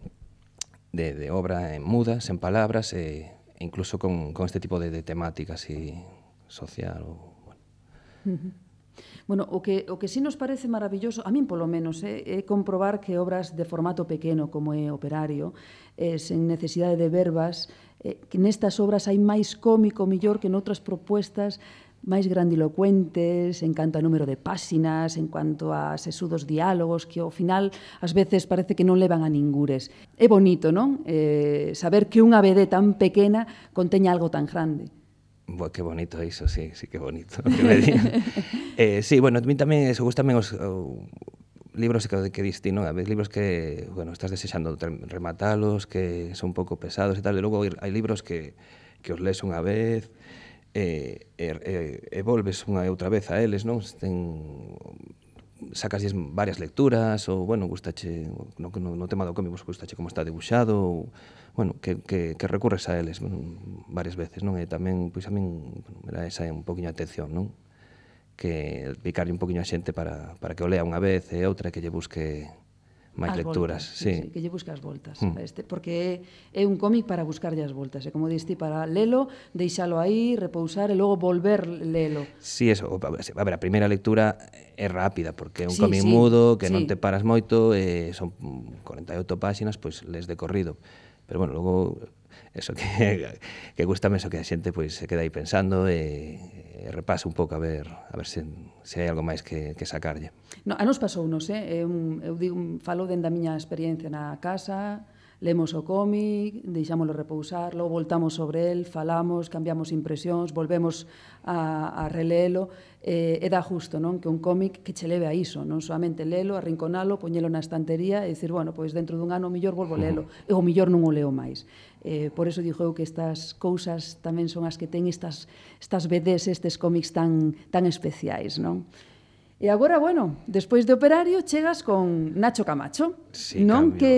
S6: de, de obra en mudas, en palabras, e, e incluso con, con este tipo de, de temática así social. Ou, bueno.
S1: Uh-huh. Bueno, o que, o que sí nos parece maravilloso, a min polo menos, é, é comprobar que obras de formato pequeno como é Operario, eh, sen necesidade de verbas, eh, que nestas obras hai máis cómico millor que noutras propuestas máis grandilocuentes en canto a número de páxinas, en cuanto a sesudos diálogos, que ao final ás veces parece que non levan a ningures. É bonito, non? Eh, saber que unha B D tan pequena conteña algo tan grande.
S6: Boa, que bonito iso, sí, sí que bonito. Que me eh, sí, bueno, a mí tamén eso, gustan os uh, libros que, que diste, non? A ver, libros que, bueno, estás desexando rematalos, que son un pouco pesados e tal, e logo hai libros que, que os lees unha vez, e, e, e, e volves unha e outra vez a eles, non? Ten, sacas varias lecturas, ou, bueno, gustache, no, no, no tema do cómic, gustache como está debuxado, ou, bueno, que, que, que recurres a eles, bueno, varias veces, non? E tamén, pois a min, era esa un poquinho a atención, non? Que picarlle un poquinho a xente para, para que o lea unha vez e outra que lle busque máis
S1: as
S6: lecturas.
S1: Voltas,
S6: sí.
S1: Sí, que lle busque as voltas.
S6: Mm.
S1: Este, porque é, é un cómic para buscarlle as voltas. E como diste, para lelo, deixalo aí, repousar e logo volver lelo.
S6: Sí, eso. A ver, a primeira lectura é rápida, porque é un
S1: Sí,
S6: cómic
S1: sí,
S6: mudo, que
S1: sí.
S6: non te paras moito, e son corenta e oito páxinas, pois les de corrido. Pero, bueno, logo eso que, que gustame eso que a xente pois se queda aí pensando e, e repasa un pouco a ver a ver se, se hai algo máis que, que sacarlle.
S1: No, a nos pasounos, eh? Eu, eu digo, falo dende a miña experiencia na casa, lemos o cómic, deixámoslo repousar, logo voltamos sobre el, falamos, cambiamos impresións, volvemos a, a relelo, eh, e dá justo, non? Que un cómic que che leve a iso, non solamente lelo, arrinconalo, poñelo na estantería e dicir, bueno, pois dentro dun ano o millor volvo a lelo, e o millor non o leo máis. Eh, por eso dixo eu que estas cousas tamén son as que ten estas, estas B Ds, estes cómics tan, tan especiais, non? E agora, bueno, despois de Operario chegas con Nacho Camacho,
S6: Sí,
S1: non?
S6: cambio.
S1: Que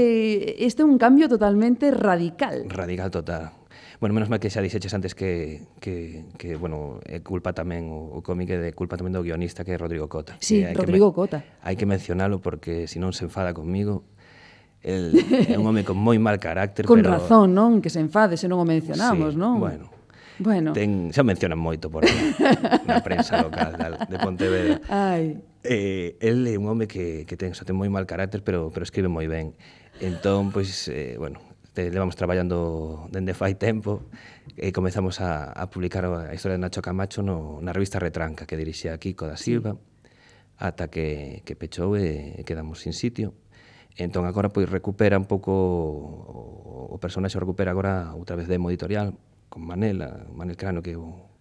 S1: este é un cambio totalmente radical.
S6: Radical total. Bueno, menos mal que xa dixeches antes que, que, que bueno, é culpa tamén, o, o cómic é de culpa tamén do guionista que é Rodrigo Cota.
S1: Sí,
S6: E hai
S1: Rodrigo
S6: que,
S1: Cota.
S6: Hai que mencionalo porque se non se enfada comigo, el é un home con moi mal carácter,
S1: Con
S6: pero...
S1: razón, non? Que se enfade se non o mencionamos,
S6: Sí,
S1: non?
S6: bueno.
S1: Bueno.
S6: Ten, xa o mencionan moito por aí, na prensa local de Pontevedra.
S1: Ai.
S6: Eh, el é un home que, que ten, xa ten moi mal carácter, pero, pero escribe moi ben. Entón, pois, eh, bueno, te, levamos traballando dende fai tempo e comezamos a, a publicar a historia de Nacho Camacho no, na revista Retranca, que dirixía Kiko da Silva, ata que, que pechou e quedamos sin sitio. Entón, agora, pois, recupera un pouco, o, o personaxe recupera agora outra vez demo editorial, con Manel, a, Manel Crano, que é o,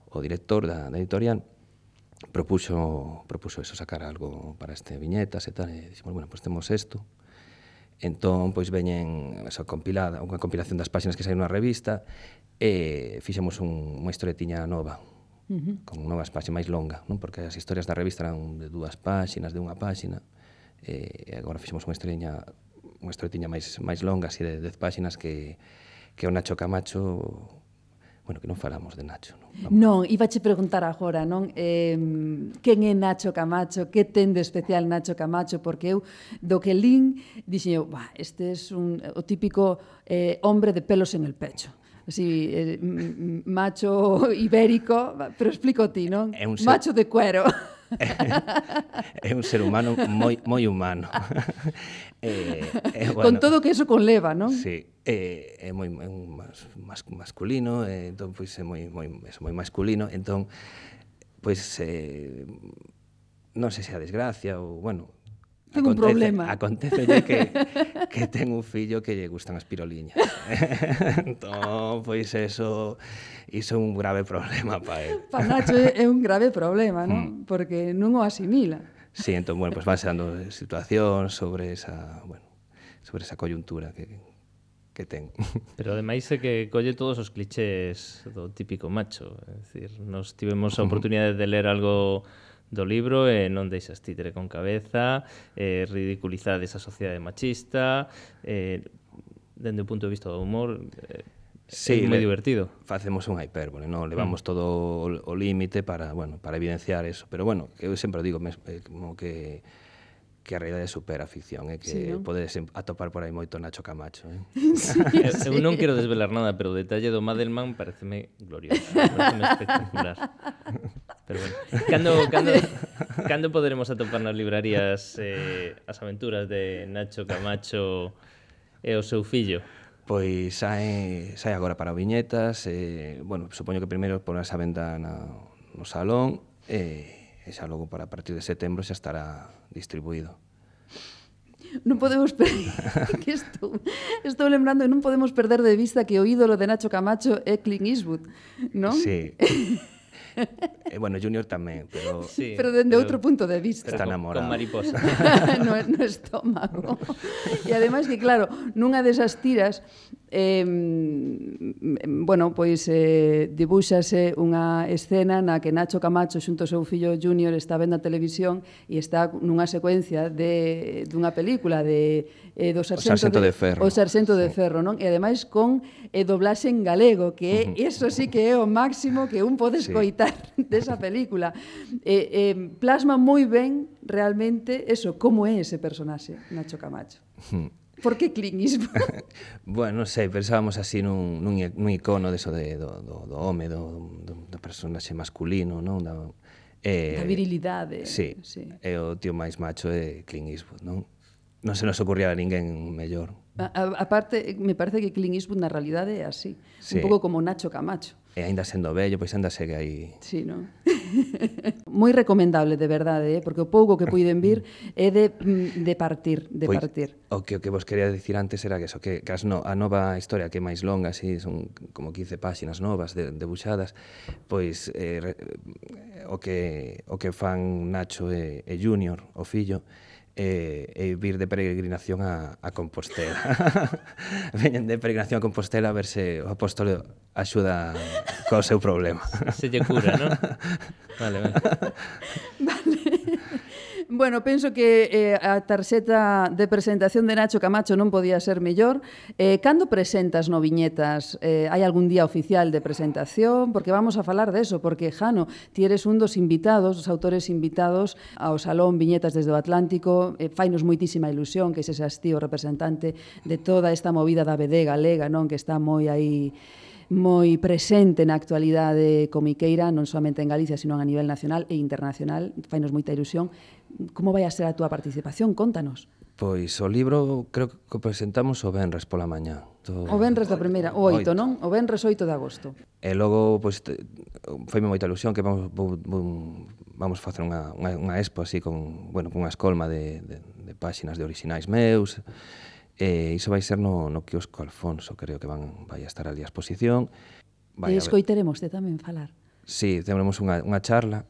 S6: o director da, da editorial, propuxo, propuxo eso, sacar algo para este viñetas e tal, e dixemos, bueno, pois temos isto. Entón, pois veñen esa compilada, unha compilación das páxinas que saíron na revista, e fixemos un, unha historietiña nova,
S1: Uh-huh.
S6: con novas páxinas máis longa, non? Porque as historias da revista eran de dúas páxinas, de unha páxina, e agora fixemos unha historietiña, unha historietiña máis, máis longa, así de dez páxinas, que que o Nacho Camacho, bueno, que non falamos de Nacho, non? Vamos.
S1: Non, ibache preguntar agora, non? Eh, quen é Nacho Camacho? Que ten de especial Nacho Camacho? Porque eu, do que lín, dixen eu, bah, este é un, o típico eh, hombre de pelos en el pecho. Así, eh, macho ibérico, pero explico ti, non?
S6: É un ser...
S1: Macho de cuero.
S6: É un ser humano moi moi humano. eh, eh, bueno,
S1: con todo que eso conleva, non?
S6: Sí, eh, é moi é un mas, mas, masculino, eh, entón pois é moi moi eso, moi masculino, entón pois eh, non sei se a desgracia ou bueno,
S1: ten un problema.
S6: Acontece que que ten un fillo que lle gustan as piroliñas. Entón, pois eso iso é un grave problema para él.
S1: Para Nacho é un grave problema, non? Mm. Porque non o asimila.
S6: Sí, entón, bueno, pues vanse dando situacións sobre esa, bueno, sobre esa coyuntura que, que ten.
S2: Pero ademais é que colle todos os clichés do típico macho, é dicir, nos tivemos a oportunidade de ler algo do libro e non deixas títere con cabeza, eh, ridiculizades a sociedade machista, eh, dende o punto de vista do humor, eh,
S6: sí,
S2: é moi divertido.
S6: Facemos unha hipérbole, non? Levamos mm. todo o, o límite para, bueno, para evidenciar eso, pero bueno, eu sempre digo mes, eh, como que que a realidade supera a ficción, é eh, que sí, ¿no? Podes atopar por aí moito Nacho Camacho, eh?
S1: Sí,
S2: eu,
S1: sí.
S2: eu non quero desvelar nada, pero o detalle do Madelman pareceme glorioso, pareceme espectacular. Pero bueno, cando, cando, cando poderemos atopar nas librarías eh, as aventuras de Nacho Camacho e o seu fillo?
S6: Pois sai, sai agora para viñetas, eh, bueno, supoño que primeiro porás a venda na, no salón, e eh, xa logo para a partir de setembro xa estará distribuído.
S1: Non podemos perder que estou, estou lembrando que non podemos perder de vista que o ídolo de Nacho Camacho é Clint Eastwood, non?
S6: Sí. Eh, bueno, Junior tamén, pero...
S1: Sí, pero dende outro punto de vista.
S6: Está enamorado.
S2: Con mariposa.
S1: no, no estómago. E ademais que, claro, nunha desas tiras, eh, bueno, pois eh, dibúxase unha escena na que Nacho Camacho xunto ao seu fillo Junior está vendo a televisión e está nunha secuencia de dunha película de eh, do Sarxento,
S6: o Sarxento de, de Ferro.
S1: O Sarxento sí. de Ferro, non? E ademais con eh, doblaxe en galego, que uh -huh. eso sí que é o máximo que un pode escoitar sí. desa película. Eh, eh, plasma moi ben realmente eso, como é ese personaxe, Nacho Camacho. Uh -huh. Por que Clint Eastwood?
S6: Bueno, non sei, pensábamos así nun, nun, nun icono deso de, do, do, do home, do, do, do personaxe masculino, non? Da,
S1: eh, da virilidade.
S6: Sí, sí, e o tío máis macho é Clint Eastwood, non? non se nos ocurría a ninguén mellor.
S1: A, a, aparte, me parece que Clint Eastwood na realidade é así, sí. Un pouco como Nacho Camacho.
S6: E aínda sendo vello, pois ainda segue aí.
S1: Sí, non? Moi recomendable, de verdade, eh? Porque o pouco que puiden vir é de, de partir, de
S6: pois,
S1: partir.
S6: O que, o que vos quería dicir antes era que eso, que, que as no, a nova historia que é máis longa, así, son como quince páxinas novas de, debuxadas, pois eh, re, o, que, o que fan Nacho e, e Junior, o fillo, e, e vir de peregrinación a, a Compostela. Veñen de peregrinación a Compostela a ver se o apóstolo axuda co seu problema.
S2: Se lle cura, non? Vale, vale.
S1: Vale. Bueno, penso que eh, a tarxeta de presentación de Nacho Camacho non podía ser mellor. Eh, cando presentas no Viñetas? Eh, hai algún día oficial de presentación? Porque vamos a falar deso, porque, Jano, ti eres un dos invitados, dos autores invitados ao Salón Viñetas desde o Atlántico. Eh, fainos moitísima ilusión que ese seas ti o representante de toda esta movida da B D galega, non? Que está moi aí moi presente na actualidade comiqueira, non somente en Galicia, sino a nivel nacional e internacional. Fainos moita ilusión. Como vai a ser a túa participación? Contanos.
S6: Pois o libro creo que o presentamos o venres pola mañá.
S1: To... O venres da primeira, o oito, non? O venres oito de agosto.
S6: E logo, pois, foime moita ilusión que vamos, vamos facer unha, unha, unha expo así con, bueno, con unha escolma de, de, de páxinas de orixinais meus. E iso vai ser no, no quiosco Alfonso, creo que van vai a estar ali a exposición.
S1: Vai e escoiteremoste tamén falar.
S6: Sí, temos unha, unha charla,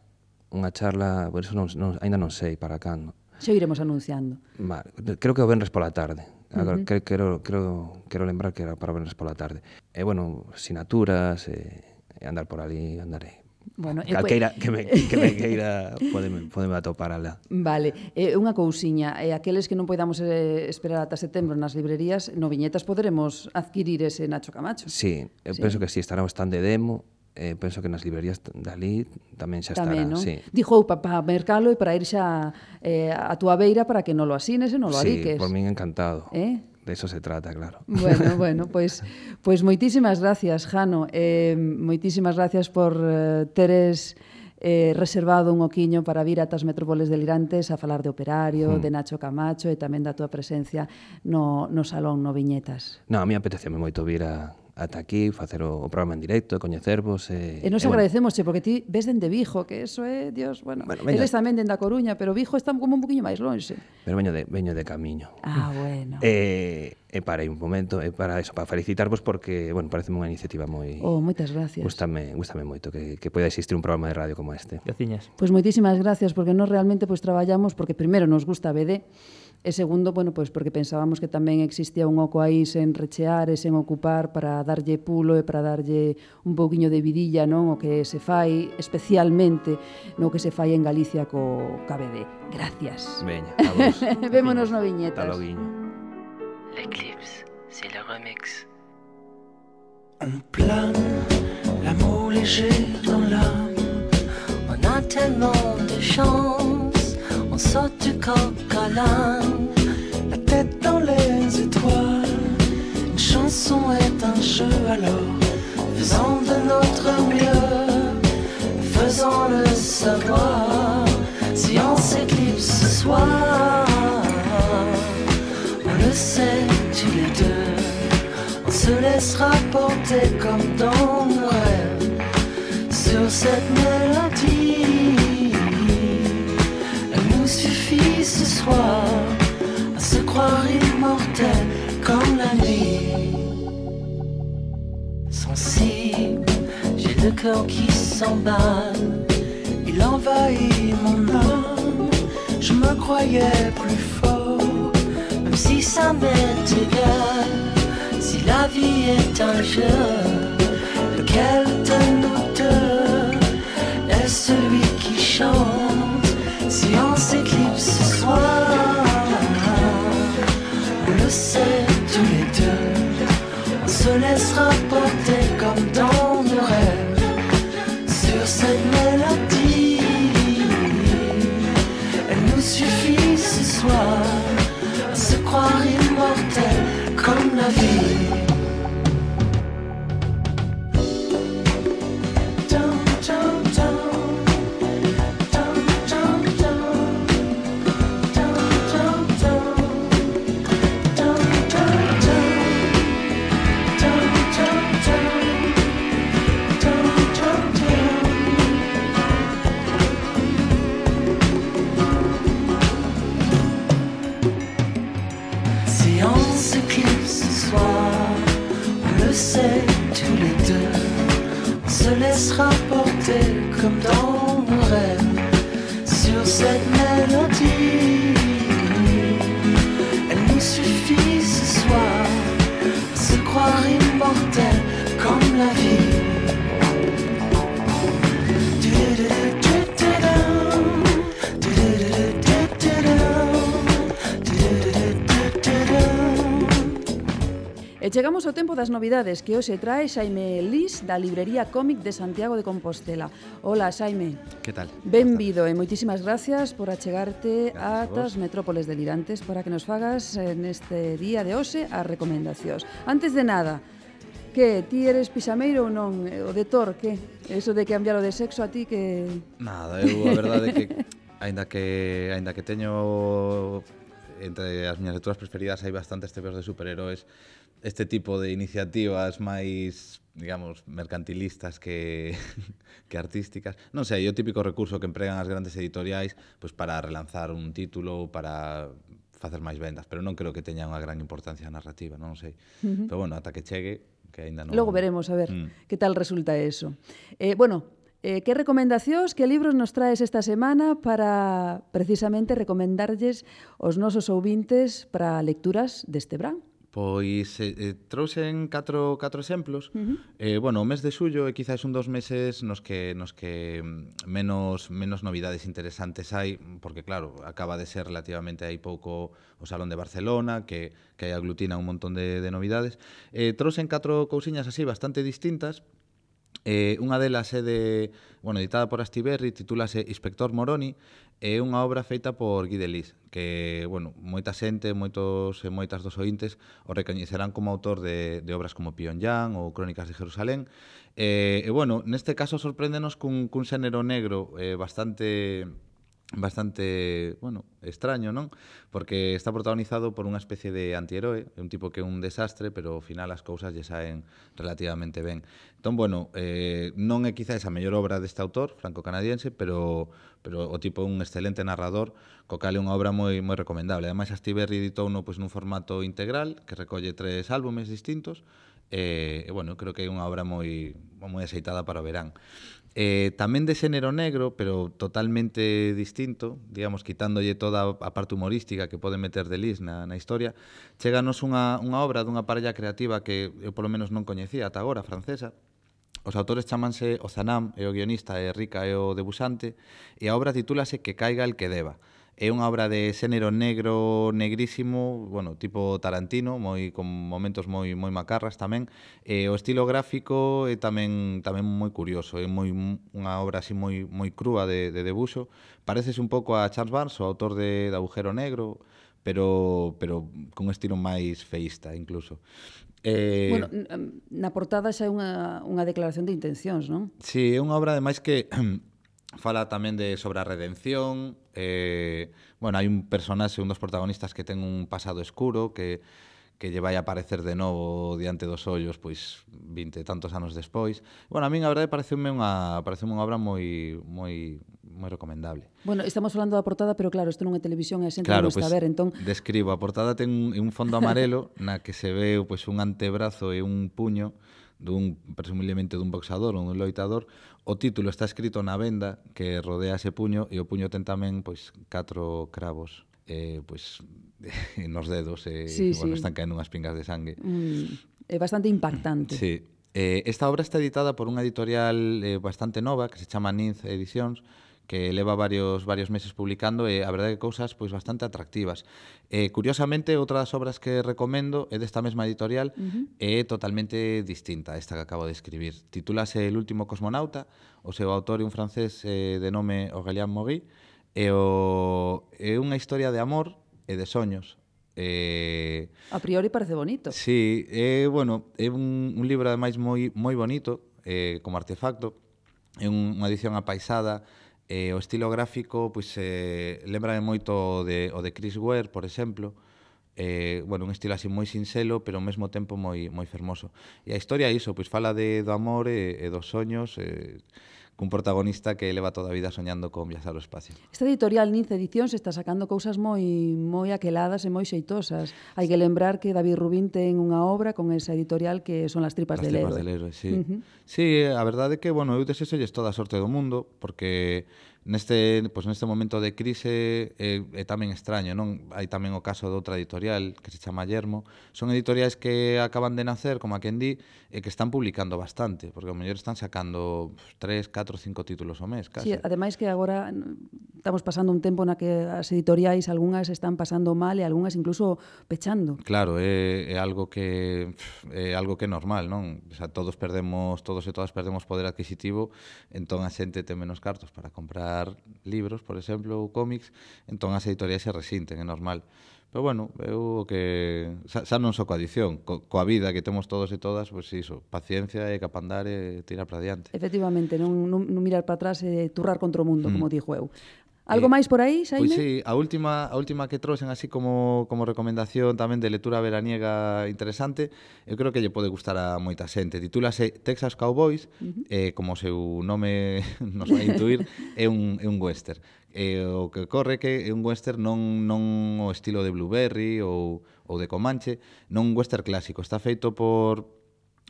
S6: unha charla, por eso non, non, ainda non sei para cando.
S1: Xa iremos anunciando.
S6: Vale, creo que o venres pola tarde. Agora, uh -huh. quero, quero, quero lembrar que era para o venres pola tarde. E, bueno, sinaturas, e, e andar por ali, andarei.
S1: Bueno,
S6: calqueira que me, que me queira podeme, podeme atopar alá.
S1: Vale, eh, unha cousiña, eh, aqueles que non podamos eh, esperar ata setembro nas librerías, no Viñetas poderemos adquirir ese Nacho Camacho.
S6: Sí, eu sí. penso que sí, estará o stand de demo, eh, penso que nas librerías dali tamén xa estará.
S1: Tamén, non?
S6: Sí.
S1: Dixo para mercalo e para ir xa eh, a túa beira para que non lo asines e non lo
S6: sí,
S1: adiques.
S6: Sí, por min encantado.
S1: Eh?
S6: De eso se trata, claro.
S1: Bueno, bueno, pois pues, pues moitísimas gracias, Jano. Eh, moitísimas gracias por eh, teres eh, reservado un oquiño para vir a tas Metrópoles Delirantes a falar de Operario, mm. de Nacho Camacho e tamén da túa presencia no, no Salón no Viñetas.
S6: No, a mí apeteceme moito vir a ata aquí, facer o, o programa en directo, coñecervos. E,
S1: e nos e, agradecemos, bueno, porque ti ves dende Vigo, que eso é, Dios, bueno, bueno eles tamén dende a Coruña, pero Vigo está como un poquinho máis lonxe.
S6: Pero veño de, veño de camiño.
S1: Ah, bueno.
S6: E, e parei un momento, e para eso, para felicitarvos porque, bueno, parece unha iniciativa moi...
S1: Oh, moitas gracias.
S6: Gústame, gústame moito que, que poida existir un programa de radio como este.
S2: Graciñas.
S1: Pois pues moitísimas gracias, porque nós realmente pues, traballamos, porque primeiro nos gusta a B D, e segundo, bueno, pues porque pensábamos que tamén existía un oco aí sen rechear e sen ocupar para darlle pulo e para darlle un pouquiño de vidilla, non? O que se fai especialmente no que se fai en Galicia co K B D. Gracias.
S6: Veña, a vos.
S1: Vémonos no Viñetas.
S6: Hasta loguiño.
S11: L'éclipse, c'est le remix.
S12: On plane, l'amour léger dans l'âme.
S11: On a tellement de chance, on saute du coq à l'âne.
S12: La tête dans les étoiles, une chanson est un jeu alors. Faisons de notre mieux, faisons-le savoir. Si on s'éclipse ce soir, on le sait tous les deux. On se laissera porter comme dans nos rêves sur cette mélodie. Elle nous suffit ce soir à se croire immortel comme la nuit. Sensible, j'ai le cœur qui s'emballe. Il envahit mon âme. Je me croyais plus fort, même si ça m'est égal. Si la vie est un jeu, lequel de nous deux est celui qui chante? Si on s'éclipse ce soir, on le sait tous les deux. On se laissera porter comme dans nos rêves sur cette mélodie. Elle nous suffit ce soir à se croire immortel comme la vie. laissera porter comme dans nos rêves sur cette mélodie. Elle nous suffit ce soir à se croire immortel comme la vie.
S1: E chegamos ao tempo das novidades que hoxe trae Xaime Lis da librería Cómic de Santiago de Compostela. Hola, Xaime.
S13: Que tal?
S1: Benvido e moitísimas gracias por achegarte
S13: Gracias
S1: ata as metrópoles delirantes para que nos fagas neste día de hoxe as recomendacións. Antes de nada, que ti eres pixameiro ou non? O de Thor, que? Eso de cambiar o de sexo a ti que...
S13: Nada, eu a verdade é que aínda que aínda que teño entre as miñas lecturas preferidas hai bastantes tebeos de superheróis, este tipo de iniciativas máis, digamos, mercantilistas que, que artísticas. Non sei, é o típico recurso que empregan as grandes editoriais pois para relanzar un título, para facer máis vendas, pero non creo que teña unha gran importancia narrativa, non sei.
S1: Uh-huh.
S13: Pero bueno, ata que chegue, que aínda non...
S1: Logo veremos, a ver,
S13: mm.
S1: que tal resulta eso. Eh, bueno, eh, que recomendacións, que libros nos traes esta semana para precisamente recomendarlles aos nosos ouvintes para lecturas deste verán?
S13: Pois eh, trouxen catro, catro exemplos.
S1: Uh-huh.
S13: eh, bueno, o mes de xullo é quizás un dos meses nos que nos que menos menos novidades interesantes hai, porque claro, acaba de ser relativamente hai pouco o Salón de Barcelona, que, que aglutina un montón de, de novidades. Eh, trouxen catro cousiñas así bastante distintas. Eh, unha delas é de, bueno, editada por Astiberri, titúlase Inspector Moroni, é unha obra feita por Guy Delis, que, bueno, moita xente, moitos e moitas dos ointes o recoñecerán como autor de, de obras como Pyongyang ou Crónicas de Jerusalén. E, e bueno, neste caso sorpréndenos cun, cun xénero negro eh, bastante... bastante, bueno, extraño, non? Porque está protagonizado por unha especie de antiheroe, un tipo que é un desastre, pero ao final as cousas lle saen relativamente ben. Entón, bueno, eh, non é quizás a mellor obra deste autor, franco-canadiense, pero, pero o tipo é un excelente narrador, co cal é unha obra moi moi recomendable. Ademais, Astiberri editouno pois, nun formato integral, que recolle tres álbumes distintos, e, e bueno, creo que é unha obra moi, moi aceitada para o verán. Eh, tamén de xénero negro, pero totalmente distinto, digamos, quitándolle toda a parte humorística que pode meter Delis na, na historia, cheganos unha, unha obra dunha parella creativa que eu polo menos non coñecía ata agora, francesa. Os autores chamanse Ozanam, e o guionista é Rica e o debuxante, e a obra titúlase Que caiga el que deba. É unha obra de xénero negro, negrísimo, bueno, tipo Tarantino, moi con momentos moi moi macarras tamén. E o estilo gráfico é tamén tamén moi curioso, é moi unha obra así moi moi crúa de de debuxo. Pareces un pouco a Charles Barnes, o autor de, de Agujero Negro, pero pero con un estilo máis feísta incluso. Eh,
S1: Bueno, na portada xa é unha unha declaración de intencións, non?
S13: Sí, é unha obra ademais que fala tamén de sobre a redención. Eh, bueno, hai un personaxe, un dos protagonistas que ten un pasado escuro que que lle vai a aparecer de novo diante dos ollos, pois vinte e tantos anos despois. Bueno, a min a verdade pareceume unha pareceume unha obra moi moi moi recomendable.
S1: Bueno, estamos falando da portada, pero claro, isto non é televisión e a xente
S13: Claro,
S1: non está
S13: pues,
S1: a ver, entón...
S13: describo, a portada ten un, un fondo amarelo na que se ve pois, un antebrazo e un puño dun, presumiblemente dun boxador ou dun loitador. O título está escrito na venda que rodea ese puño e o puño ten tamén pois catro cravos eh, pois nos dedos e
S1: sí,
S13: bueno,
S1: sí.
S13: están caendo unhas pingas de sangue.
S1: Mm, é bastante impactante.
S13: Sí. Eh, esta obra está editada por unha editorial eh, bastante nova que se chama Ninth Edicións, que leva varios varios meses publicando e a verdade que cousas pois bastante atractivas. Eh, curiosamente, outra das obras que recomendo é desta mesma editorial, uh-huh. é totalmente distinta a esta que acabo de escribir. Titúlase El último cosmonauta, o seu autor é un francés eh, de nome Aurélien Maury, e o, é unha historia de amor e de soños. Eh,
S1: a priori parece bonito.
S13: Sí, é, bueno, é un, un libro ademais moi moi bonito, eh, como artefacto, é un, unha edición apaisada. Eh, o estilo gráfico pois, eh, lembra moito de, o de Chris Ware, por exemplo. Eh, bueno, un estilo así moi sinxelo, pero ao mesmo tempo moi, moi fermoso. E a historia é iso, pois fala de, do amor e, e dos soños, eh, cun protagonista que leva toda a vida soñando con viaxar ao espacio.
S1: Esta editorial Nince Edicións está sacando cousas moi moi aqueladas e moi xeitosas. Hai que lembrar que David Rubín ten unha obra con esa editorial que son Las tripas
S13: Las
S1: del
S13: tripas
S1: héroe.
S13: del héroe, sí.
S1: Uh -huh.
S13: Sí, a verdade é que, bueno, eu desexolles toda a sorte do mundo, porque neste, pues, neste momento de crise é, é tamén extraño, non? Hai tamén o caso de outra editorial que se chama Yermo. Son editoriais que acaban de nacer, como a quen di, e que están publicando bastante, porque ao mellor están sacando tres, catro, cinco títulos ao mes, casi.
S1: Sí, ademais que agora estamos pasando un tempo na que as editoriais, algunhas están pasando mal e algunhas incluso pechando.
S13: Claro, é, é algo que é algo que é normal, non? O sea, todos perdemos, todos e todas perdemos poder adquisitivo, entón a xente ten menos cartos para comprar libros, por exemplo, ou cómics, entón as editoriais se resinten, é normal. Pero bueno, eu que xa, xa non só coa edición, co, coa vida que temos todos e todas, pois pues iso, paciencia e capandar e tirar para diante.
S1: Efectivamente, non, non, non mirar para atrás e turrar contra o mundo, mm. como dixo eu. Algo
S13: eh,
S1: máis por aí, Xaime?
S13: Pois sí, a última, a última que trouxen así como, como recomendación tamén de lectura veraniega interesante, eu creo que lle pode gustar a moita xente. Titúlase Texas Cowboys, uh -huh. eh, como o seu nome nos vai intuir, é un, é un western. E o que corre que é un western non, non o estilo de Blueberry ou, ou de Comanche, non un western clásico. Está feito por,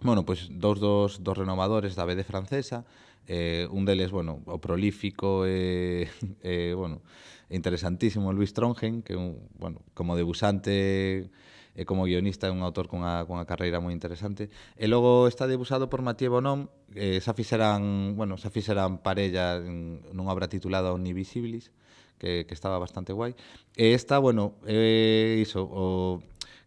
S13: bueno, pues, dous dos, dos renovadores da B D francesa. Eh, un deles, bueno, o prolífico e, eh, bueno, interesantísimo Louis Trongen, que un, bueno, como debusante e como guionista é un autor cunha, cunha carreira moi interesante. E logo está debusado por Mathieu Bonhomme, eh, xa fixeran, bueno, xa fixeran parella en, nunha obra titulada Omnivisibilis, que, que estaba bastante guai. E esta, bueno, é eh, iso, o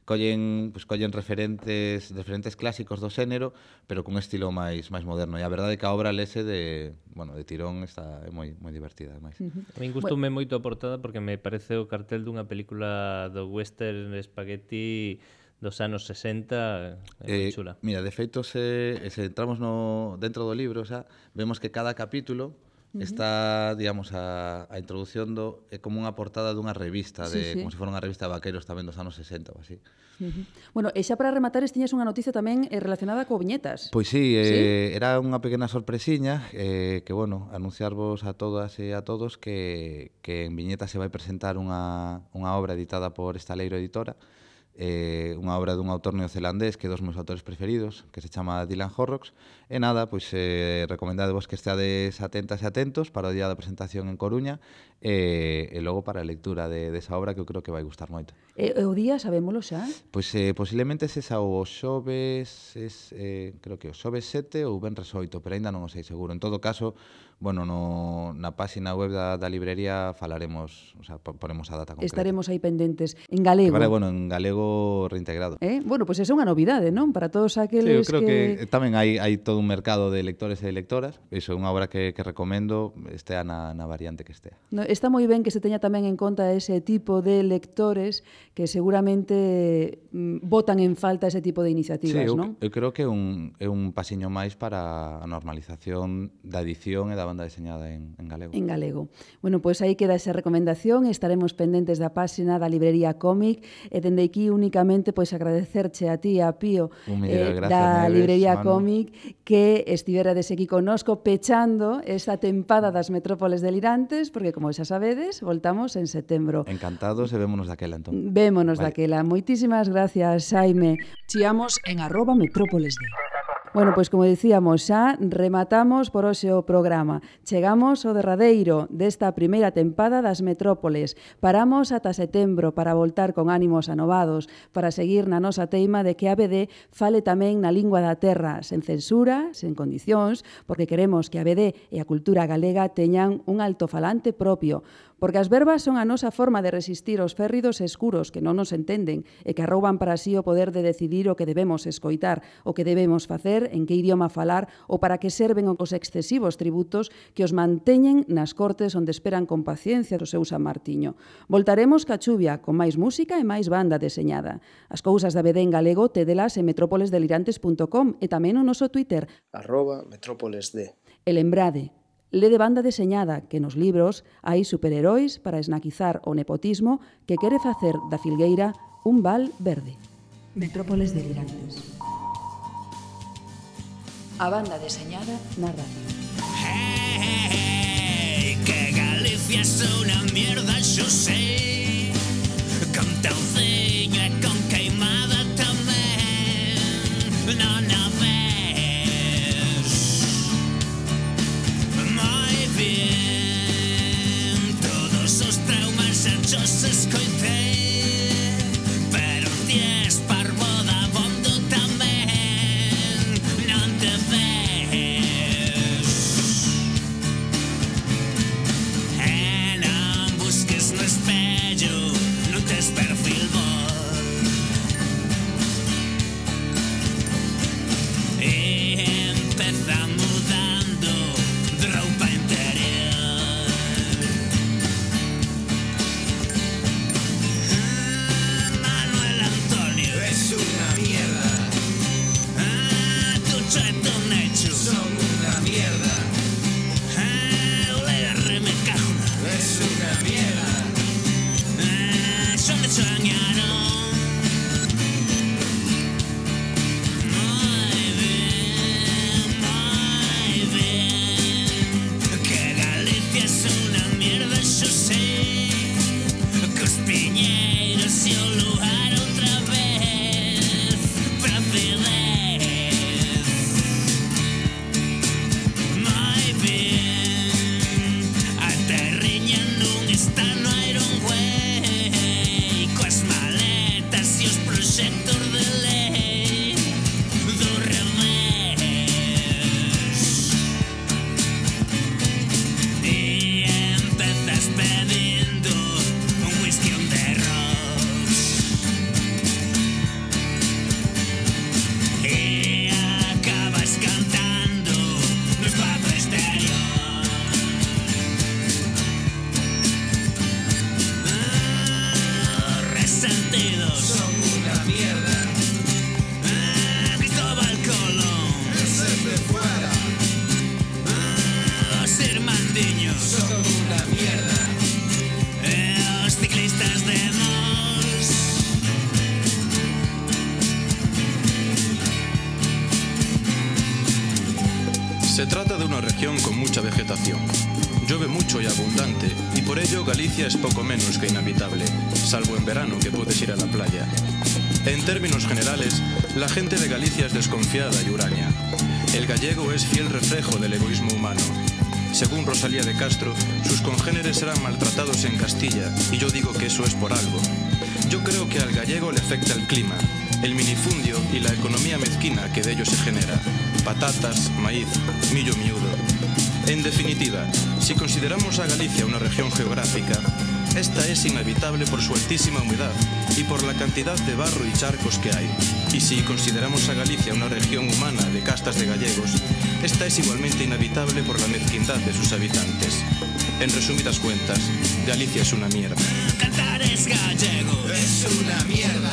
S13: collen, pues, collen referentes diferentes clásicos do xénero, pero cun estilo máis máis moderno. E a verdade é que a obra lese de, bueno, de tirón está é moi moi divertida, ademais.
S2: Uh -huh. A min gustoume bueno. moito a portada porque me parece o cartel dunha película do western spaghetti dos anos sesenta, é eh, chula.
S13: Mira, de feito se, se entramos no dentro do libro, xa, vemos que cada capítulo está, digamos, a, a introdución do é como unha portada dunha revista de, sí, sí. como se fora unha revista de vaqueros tamén dos anos sesenta ou así.
S1: Uh -huh. Bueno, e xa para rematar, tiñas unha noticia tamén eh, relacionada co viñetas.
S13: Pois sí, eh, ¿sí? Era unha pequena sorpresiña eh, que, bueno, anunciarvos a todas e a todos que, que en Viñetas se vai presentar unha, unha obra editada por Estaleiro Editora, eh, unha obra dun autor neozelandés que é dos meus autores preferidos, que se chama Dylan Horrocks. E nada, pois eh, recomendadevos que esteades atentas e atentos para o día da presentación en Coruña e, e logo para a lectura de, desa obra que eu creo que vai gustar moito.
S1: E o día sabémolo xa?
S13: Pois eh, posiblemente se xa o xoves, es, eh, creo que o xoves sete ou venres oito, pero aínda non o sei seguro. En todo caso, bueno, no, na páxina web da, da librería falaremos, o sea, ponemos a data concreta.
S1: Estaremos aí pendentes. En galego?
S13: Vale, bueno, en galego reintegrado.
S1: Eh? Bueno, pois pues é unha novidade, non? Para todos aqueles
S13: sí, eu creo
S1: que...
S13: que tamén hai, hai todo un mercado de lectores e de lectoras. Iso é unha obra que, que recomendo, estea na, na variante que estea.
S1: No, está moi ben que se teña tamén en conta ese tipo de lectores que seguramente mm, botan en falta ese tipo de iniciativas,
S13: sí, eu,
S1: non?
S13: Eu creo que é un, é un pasiño máis para a normalización da edición e da banda deseñada en, en galego.
S1: En galego. Bueno, pois pues aí queda esa recomendación, estaremos pendentes da páxina da librería Cómic e dende aquí únicamente pois agradecerche a ti, a Pío,
S13: eh, gracias,
S1: da
S13: Neves,
S1: librería
S13: Manu.
S1: Cómic que estiverades aquí connosco pechando esta tempada das Metrópoles delirantes, porque como xa sabedes, voltamos en setembro.
S13: Encantados e vémonos daquela entón.
S1: Vémonos
S13: vale.
S1: daquela. Moitísimas gracias, Xaime. Chiamos en arroba Metrópoles de. Bueno, pois como dicíamos, xa rematamos por hoxe o programa. Chegamos ao derradeiro desta primeira tempada das Metrópoles. Paramos ata setembro para voltar con ánimos anovados, para seguir na nosa teima de que a B D fale tamén na lingua da terra, sen censura, sen condicións, porque queremos que a B D e a cultura galega teñan un altofalante propio. Porque as verbas son a nosa forma de resistir os férridos escuros que non nos entenden e que arrouban para sí o poder de decidir o que debemos escoitar, o que debemos facer, en que idioma falar ou para que serven os excesivos tributos que os manteñen nas cortes onde esperan con paciencia do seu San Martiño. Voltaremos ca chuvia, con máis música e máis banda deseñada. As cousas da B D en galego tedelas en metrópoles delirantes punto com e tamén no noso Twitter
S9: arroba metrópolesd.
S1: E lembrade, le de banda deseñada que nos libros hai superheróis para esnaquizar o nepotismo que quere facer da Filgueira un val verde. Metrópoles delirantes. A banda deseñada na radio.
S14: Hey, que Galicia es una mierda, yo sé. Con tauciño e con queimada tamén. Non a ves moi bien. Todos os traumas xa os escoitei, pero ti es parvo da bondo tamén. Non te ves e non busques no espello, non tes perfil vos. E empeza mudando de roupa interior. Ah, Manuel Antonio es una mierda. Ah, Tucho e Tonecho son una mierda. Ah, Olera Remecajuna es una mierda. Ah, Son de Choñano. Muy bien, muy bien. Que Galicia es una mierda, yo sé. Cos piñeiros e o lugar outra vez. Placidez. Muy bien. A terriña non está no Iron Way. Coas maletas e os proxectos de lei do revés. E empezas pedindo un whisky on the rocks. E acabas cantando no espazo exterior. Ah, Resentidos son una mierda. Ah, Cristóbal Colón ese es de fuera. Ah, Os Irmandiños son una mierda. E os ciclistas de Mos.
S15: Se trata de una región con mucha vegetación. Llueve mucho y abundante, y por ello Galicia es poco menos que inhabitable, salvo en verano que puedes ir a la playa. En términos generales, la gente de Galicia es desconfiada y huraña. El gallego es fiel reflejo del egoísmo humano. Según Rosalía de Castro, sus congéneres eran maltratados en Castilla, y yo digo que eso es por algo. Yo creo que al gallego le afecta el clima, el minifundio y la economía mezquina que de ello se genera. Patatas, maíz, millo miúdo. En definitiva, si consideramos a Galicia una región geográfica, esta es inhabitable por su altísima humedad y por la cantidad de barro y charcos que hay. Y si consideramos a Galicia una región humana de castas de gallegos, esta es igualmente inhabitable por la mezquindad de sus habitantes. En resumidas cuentas, Galicia es una mierda.
S14: Cantar es gallego, es una mierda.